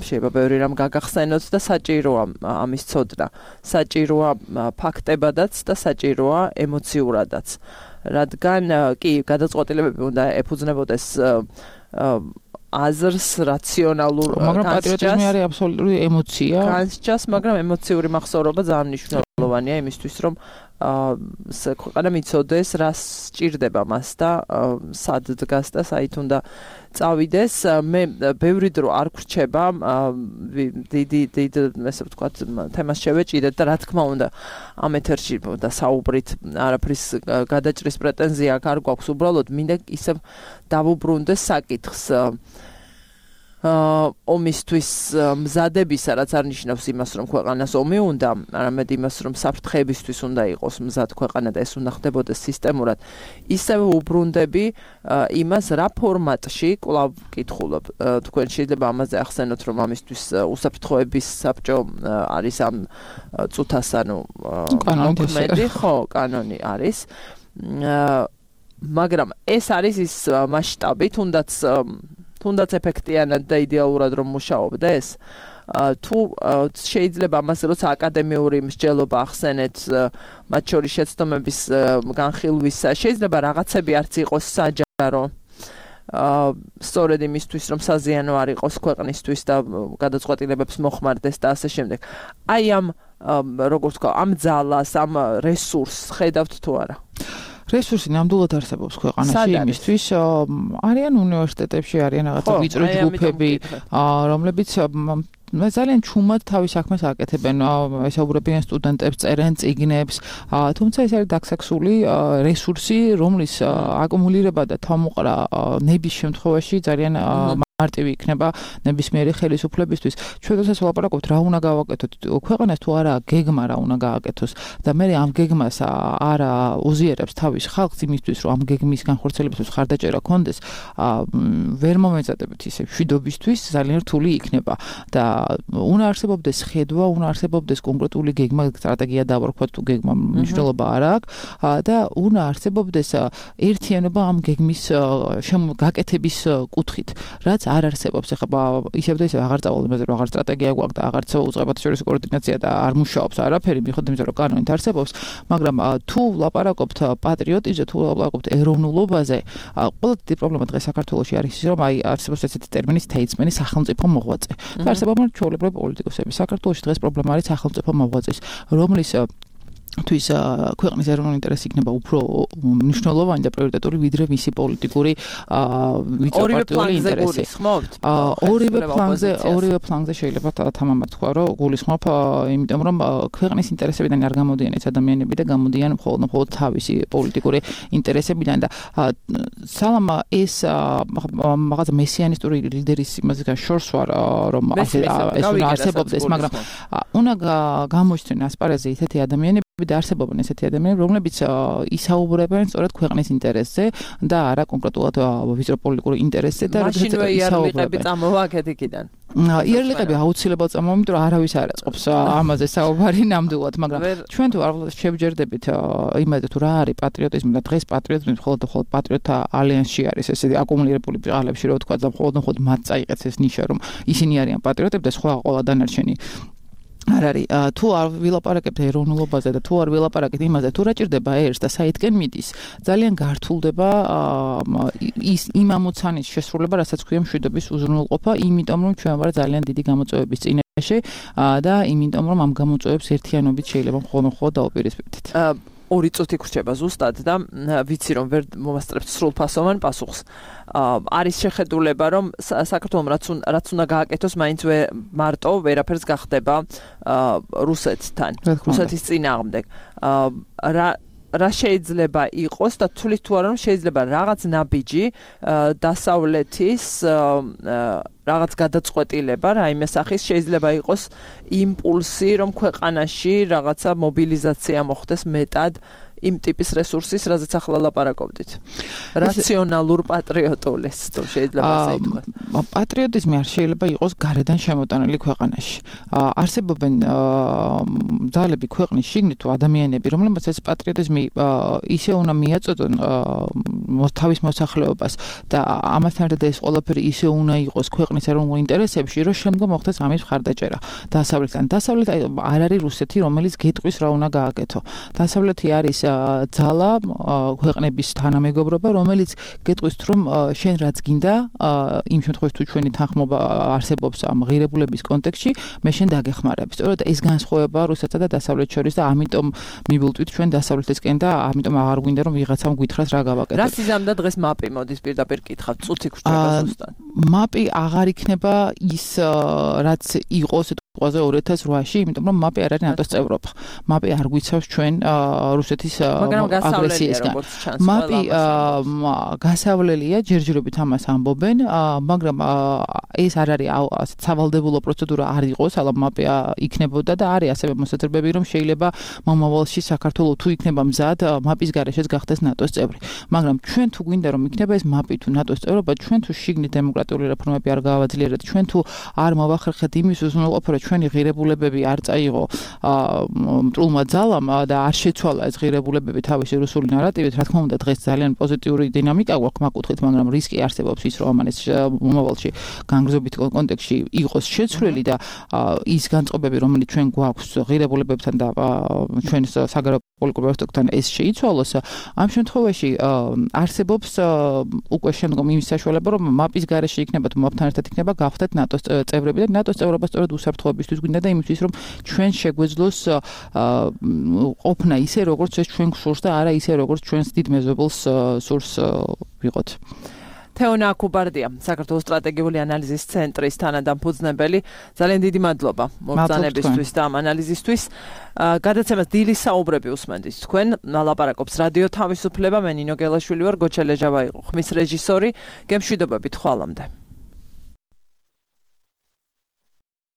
შეიძლება ბევრი რამ გაგახსენოთ და საჭიროა ამის ცოდნა. საჭიროა ფაქტებადაც და საჭიროა ემოციურადაც. რადგან კი გადაწყვეტილებები უნდა ეფუძნებოდეს აზრს, რაციონალურ განსჯას, მაგრამ პატრიოტიზმი არის აბსოლუტური ემოცია. განსჯას, მაგრამ ემოციური მახსოვრობა ძალიან მნიშვნელოვანია იმისთვის, რომ ქვეყანა მიცოდეს, რა სჭირდება მას და სად დგას და საით უნდა წავიდეს. მე ბევრი დრო არ გრჩება დიდი დიდი ესე ვთქვათ თემას შევეჭიდეთ და რა თქმა უნდა ამ ეთერში და საუბრით არაფრის გადაჭრის პრეტენზია არ გვაქვს, უბრალოდ მინდა ისე დავუბრუნდეს საკითხს ომისთვის მზადებისა, რაც არ ნიშნავს იმას, რომ ქვეყანას ომი უნდა, არამედ იმას, რომ საფრთხეებისთვის უნდა იყოს მზად ქვეყანა და ეს უნდა ხდებოდეს სისტემურად. ისევე უბრუნდები იმას, რა ფორმატში, კვლავ ვკითხულობ, თქვენ შეიძლება ამაზე ახსენოთ, რომ ამისთვის უსაფრთხოების საბჭო არის ამ წუთას, ანუ მოქმედი, ხო, კანონი არის. მაგრამ ეს არის ის მასშტაბი, თუნდაც თუნდაც ეფექტიანად და იდეალურად რომ მუშაობდეს, თუ შეიძლება ამაზე როცა აკადემიური მსჯელობა ახსენეთ, მათ შორის შეცდომების განხილვისა, შეიძლება რაღაცები არც იყოს საჯარო, სწორედ იმისთვის, რომ საზიანო არ იყოს ქვეყნისთვის და გადაწყვეტილებებს მოხმარდეს და ასე შემდეგ. აი ამ, როგორც ვთქვა, ამ ძალას, ამ რესურსს ხედავთ თუ არა? რესურსი ნამდვილად არსებობს ქვეყანაში იმისთვის, არიან უნივერსიტეტებში, არიან რაღაცა ვიწრო ჯგუფები, რომლებიც ძალიან ჩუმად თავის საქმეს აკეთებენ, ესაუბრებიან სტუდენტებს, წერენ წიგნებს, თუმცა ეს არის დაქსაქსული რესურსი, რომლის აკუმულირება და თავმოყრა ნების შემთხვევაში ძალიან მარტივი იქნება ნებისმიერი ხელისუფლებისთვის. ჩვენ დღეს ვლაპარაკობთ რა უნდა გავაკეთოთ. ქვეყანას თუ არა გეგმა რა უნდა გააკეთოს და მე ამ გეგმას არა უზიარებს თავის ხალხს იმისთვის, რომ ამ გეგმის განხორციელებისთვის ხარდაჭერა კონდეს, ვერ მომეწადებით ისე მშვიდობისთვის ძალიან რთული იქნება და უნდა არსებობდეს ხედვა, უნდა არსებობდეს კონკრეტული გეგმა, სტრატეგია დავარქვათ თუ გეგმა მნიშვნელობა არ აქვს და უნდა არსებობდეს ერთიანობა ამ გეგმის გაკეთების კუთხით, რაც არ არსებობს. ეხლა ისევ და ისევ აღარ წავალ, აღარ სტრატეგია გვაქვს და აღარც უწყებათშორისო კოორდინაცია და არ მუშაობს არაფერი, მიხედავთ იმისა, რომ კანონით არსებობს, მაგრამ თუ ვლაპარაკობთ პატრიოტიზმზე, თუ ვლაპარაკობთ ეროვნულობაზე, ყველა დიდი პრობლემა დღეს საქართველოში არის ის, რომ აი არსებობს ესეთი ტერმინი სტეიტსმენი, სახელმწიფო მოღვაწე. და არსებობენ ჩვეულებრივი პოლიტიკოსები. საქართველოში დღეს პრობლემა არის სახელმწიფო მოღვაწის, რომლის თვის ქვეყნის ეროვნული ინტერესი იქნება უფრო მნიშვნელოვანი და პრიორიტეტული ვიდრე მისი პოლიტიკური ვიწროპარტიული ინტერესი. ორივე ფლანგზე, ორივე ფლანგზე შეიძლება თამამად თქვა, რომ გულისხმობ, იმიტომ რომ ქვეყნის ინტერესებიდან არ გამოდიან ეს ადამიანები და გამოდიან მხოლოდ მხოლოდ თავისი პოლიტიკური ინტერესებიდან და სალამ ეს რაღაცა მესიანისტური ლიდერის იმასგან შორს ვარ, რომ ეს უნდა არსებობდეს, მაგრამ უნდა გამოჩნდნენ ასპარეზზე ისეთი ადამიანები და არსებობენ ესეთი ადამიანები, რომლებიც ისაუბრებენ სწორედ ქვეყნის ინტერესზე და არა კონკრეტულად ვიწრო პოლიტიკური ინტერესზე და მაშინვე იარლიყები წამოვაკეთ იქიდან. იარლიყები აუცილებლად წამოვაკეთ, იმიტომ რომ არავის არ აწყობს ამაზე საუბარი ნამდვილად, მაგრამ ჩვენ თუ არ შევჯერდებით იმაზე თუ რა არის პატრიოტიზმი და დღეს პატრიოტიზმი მხოლოდ მხოლოდ პატრიოტთა ალიანსში არის ესეთი აკუმულირებული ბრალებში, რო თქვა და მხოლოდ მხოლოდ მათ წაიღეს ეს ნიშა, რომ ისინი არიან პატრიოტები და სხვა ყველა დანარჩენი არ არის. თუ არ ვილაპარაკებთ ეროვნულობაზე და თუ არ ვილაპარაკებთ იმაზე, თუ რა ჭირდება ერს და საითკენ მიდის, ძალიან გართულდება ის იმ ამოცანის შესრულება, რასაც ქვია მშვიდობის უზრუნველყოფა, იმიტომ რომ ჩვენ ვარ ძალიან დიდი გამოწვევების წინაშე და იმიტომ რომ ამ გამოწვევებს ერთიანობით შეიძლება მხოლოდ დაუპირისპირდეთ. ორი წუთი გრჩება ზუსტად და ვიცი რომ ვერ მომასწრებთ სრულფასოვან პასუხს. არის შეხედულება რომ საქართველოს რაც რაც უნდა გააკეთოს, მაინც მარტო ვერაფერს გახდება რუსეთთან, რუსეთის წინააღმდეგ. რა რა შეიძლება იყოს და თulis თუ არა რომ შეიძლება რაღაც ნაბიჯი დასავლეთის რაღაც გადაწყვეტილება რაიმე სახის შეიძლება იყოს იმპულსი რომ ქვეყანაში რაღაცა მობილიზაცია მოხდეს მეტად იმ ტიპის რესურსის, რაზეც ახლა ლაპარაკობდით. რაციონალურ პატრიოტულს თუ შეიძლება ასე ითქვას. პატრიოტიზმი არ შეიძლება იყოს გარედან შემოტანილი ქვეყანაში. არსებობენ ძალები ქვეყნის შიგნით თუ ადამიანები, რომლებსაც ეს პატრიოტიზმი ისე უნდა მიაწოდონ თავის მოსახლეობას და ამასთან ერთად ეს ყველაფერი ისე უნდა იყოს ქვეყნის ეროვნულ ინტერესებში, რომ შემდგომ მოხდეს ამის მხარდაჭერა. დასავლეთთან დასავლეთ არ არის რუსეთი, რომელიც გეტყვის რა უნდა გააკეთო. დასავლეთი არის ძალა ქვეყნების თანამეგობრობა, რომელიც გეტყვის რომ შენ რაც გინდა, იმ შემთხვევაში თუ ჩვენი თანხმობა არსებობს ამ ღირებულების კონტექსტში, მე შენ დაგეხმარებ. სწორედ ეს განსხვავება რუსეთსა და დასავლეთს შორის და ამიტომ მიბულტვით ჩვენ დასავლეთისკენ და ამიტომ აღარ გვინდა რომ ვიღაცამ გვითხრას რა გავაკეთოთ. რა სიზამდა დღეს მაპი მოდის პირდაპირ კითხავთ, წუთი გრჩება ზუსტად. მაპი აღარ იქნება ის რაც იყოს ყველაზე ორი ათას რვაში, იმიტომ რომ მაპი არ არის ნატოს წევრობა. მაპი არ გვიცავს ჩვენ რუსეთის აგრესიისგან. მაპი გასავლელია, ჯერჯერობით ამას ამბობენ, მაგრამ ეს არ არის ასეთ სავალდებულო პროცედურა არ იყოს, αλλά მაპი იქნებოდა და არის ასევე მოსაზრებები, რომ შეიძლება მომავალში საქართველოს თუ იქნება მზად, მაპის გარეშეც გახდეს ნატოს წევრი. მაგრამ ჩვენ თუ გვინდა რომ იქნება ეს მაპი თუ ნატოს წევრობა, ჩვენ თუ შიგნით დემოკრატიული რეფორმები არ გავაძლიერეთ, ჩვენ თუ არ მოვახერხეთ იმის უზრუნველყოფა, რომ ჩვენი ღირებულებები არ წაიღო მტრულმა ძალამ და არ შეცვალა ეს ღირებულებები თავისი რუსული ნარატივით, რა თქმა უნდა დღეს ძალიან პოზიტიური დინამიკა გვაქვს მაგ-კუთხით, მაგრამ რისკი არსებობს ის, რომ ამან ეს მომავალში განგრძობით კონტექსტში იყოს შეცვლილი და ის განწყობები, რომელიც ჩვენ გვაქვს ღირებულებებთან და ჩვენს საგარეო პოლიტიკურ პროტესტთან ეს შეიცვალოს, ამ შემთხვევაში არსებობს უკვე შემდგომ იმის საშუალება, რომ მაპის გარეშე იქნება თუ მაპთან ერთად იქნება გავხდეთ ნატოს წევრები და ნატოს წევრობა სწორედ უსაფრთხოებისთვის გვინდა და იმისთვის, რომ ჩვენ შეგვეძლოს ყოფნა ისე, როგორც ეს ჩვენ გსურს და არა ისე, როგორც ჩვენს დიდ მეზობელს სურს ვიყოთ. თეონა კუბარდია, საქართველოს სტრატეგიული ანალიზის ცენტრის თანადამფუძნებელი. ძალიან დიდი მადლობა მოგზაურობისთვის და ამ ანალიზისთვის. გადაცემას დილის საუბრები უსმენთ თქვენ. ლაპარაკობს რადიო თავისუფლება, მე ნინო გელაშვილი ვარ, გოჩა ლეჟავა იყო ხმის რეჟისორი. გემშვიდობებით, ხვალამდე.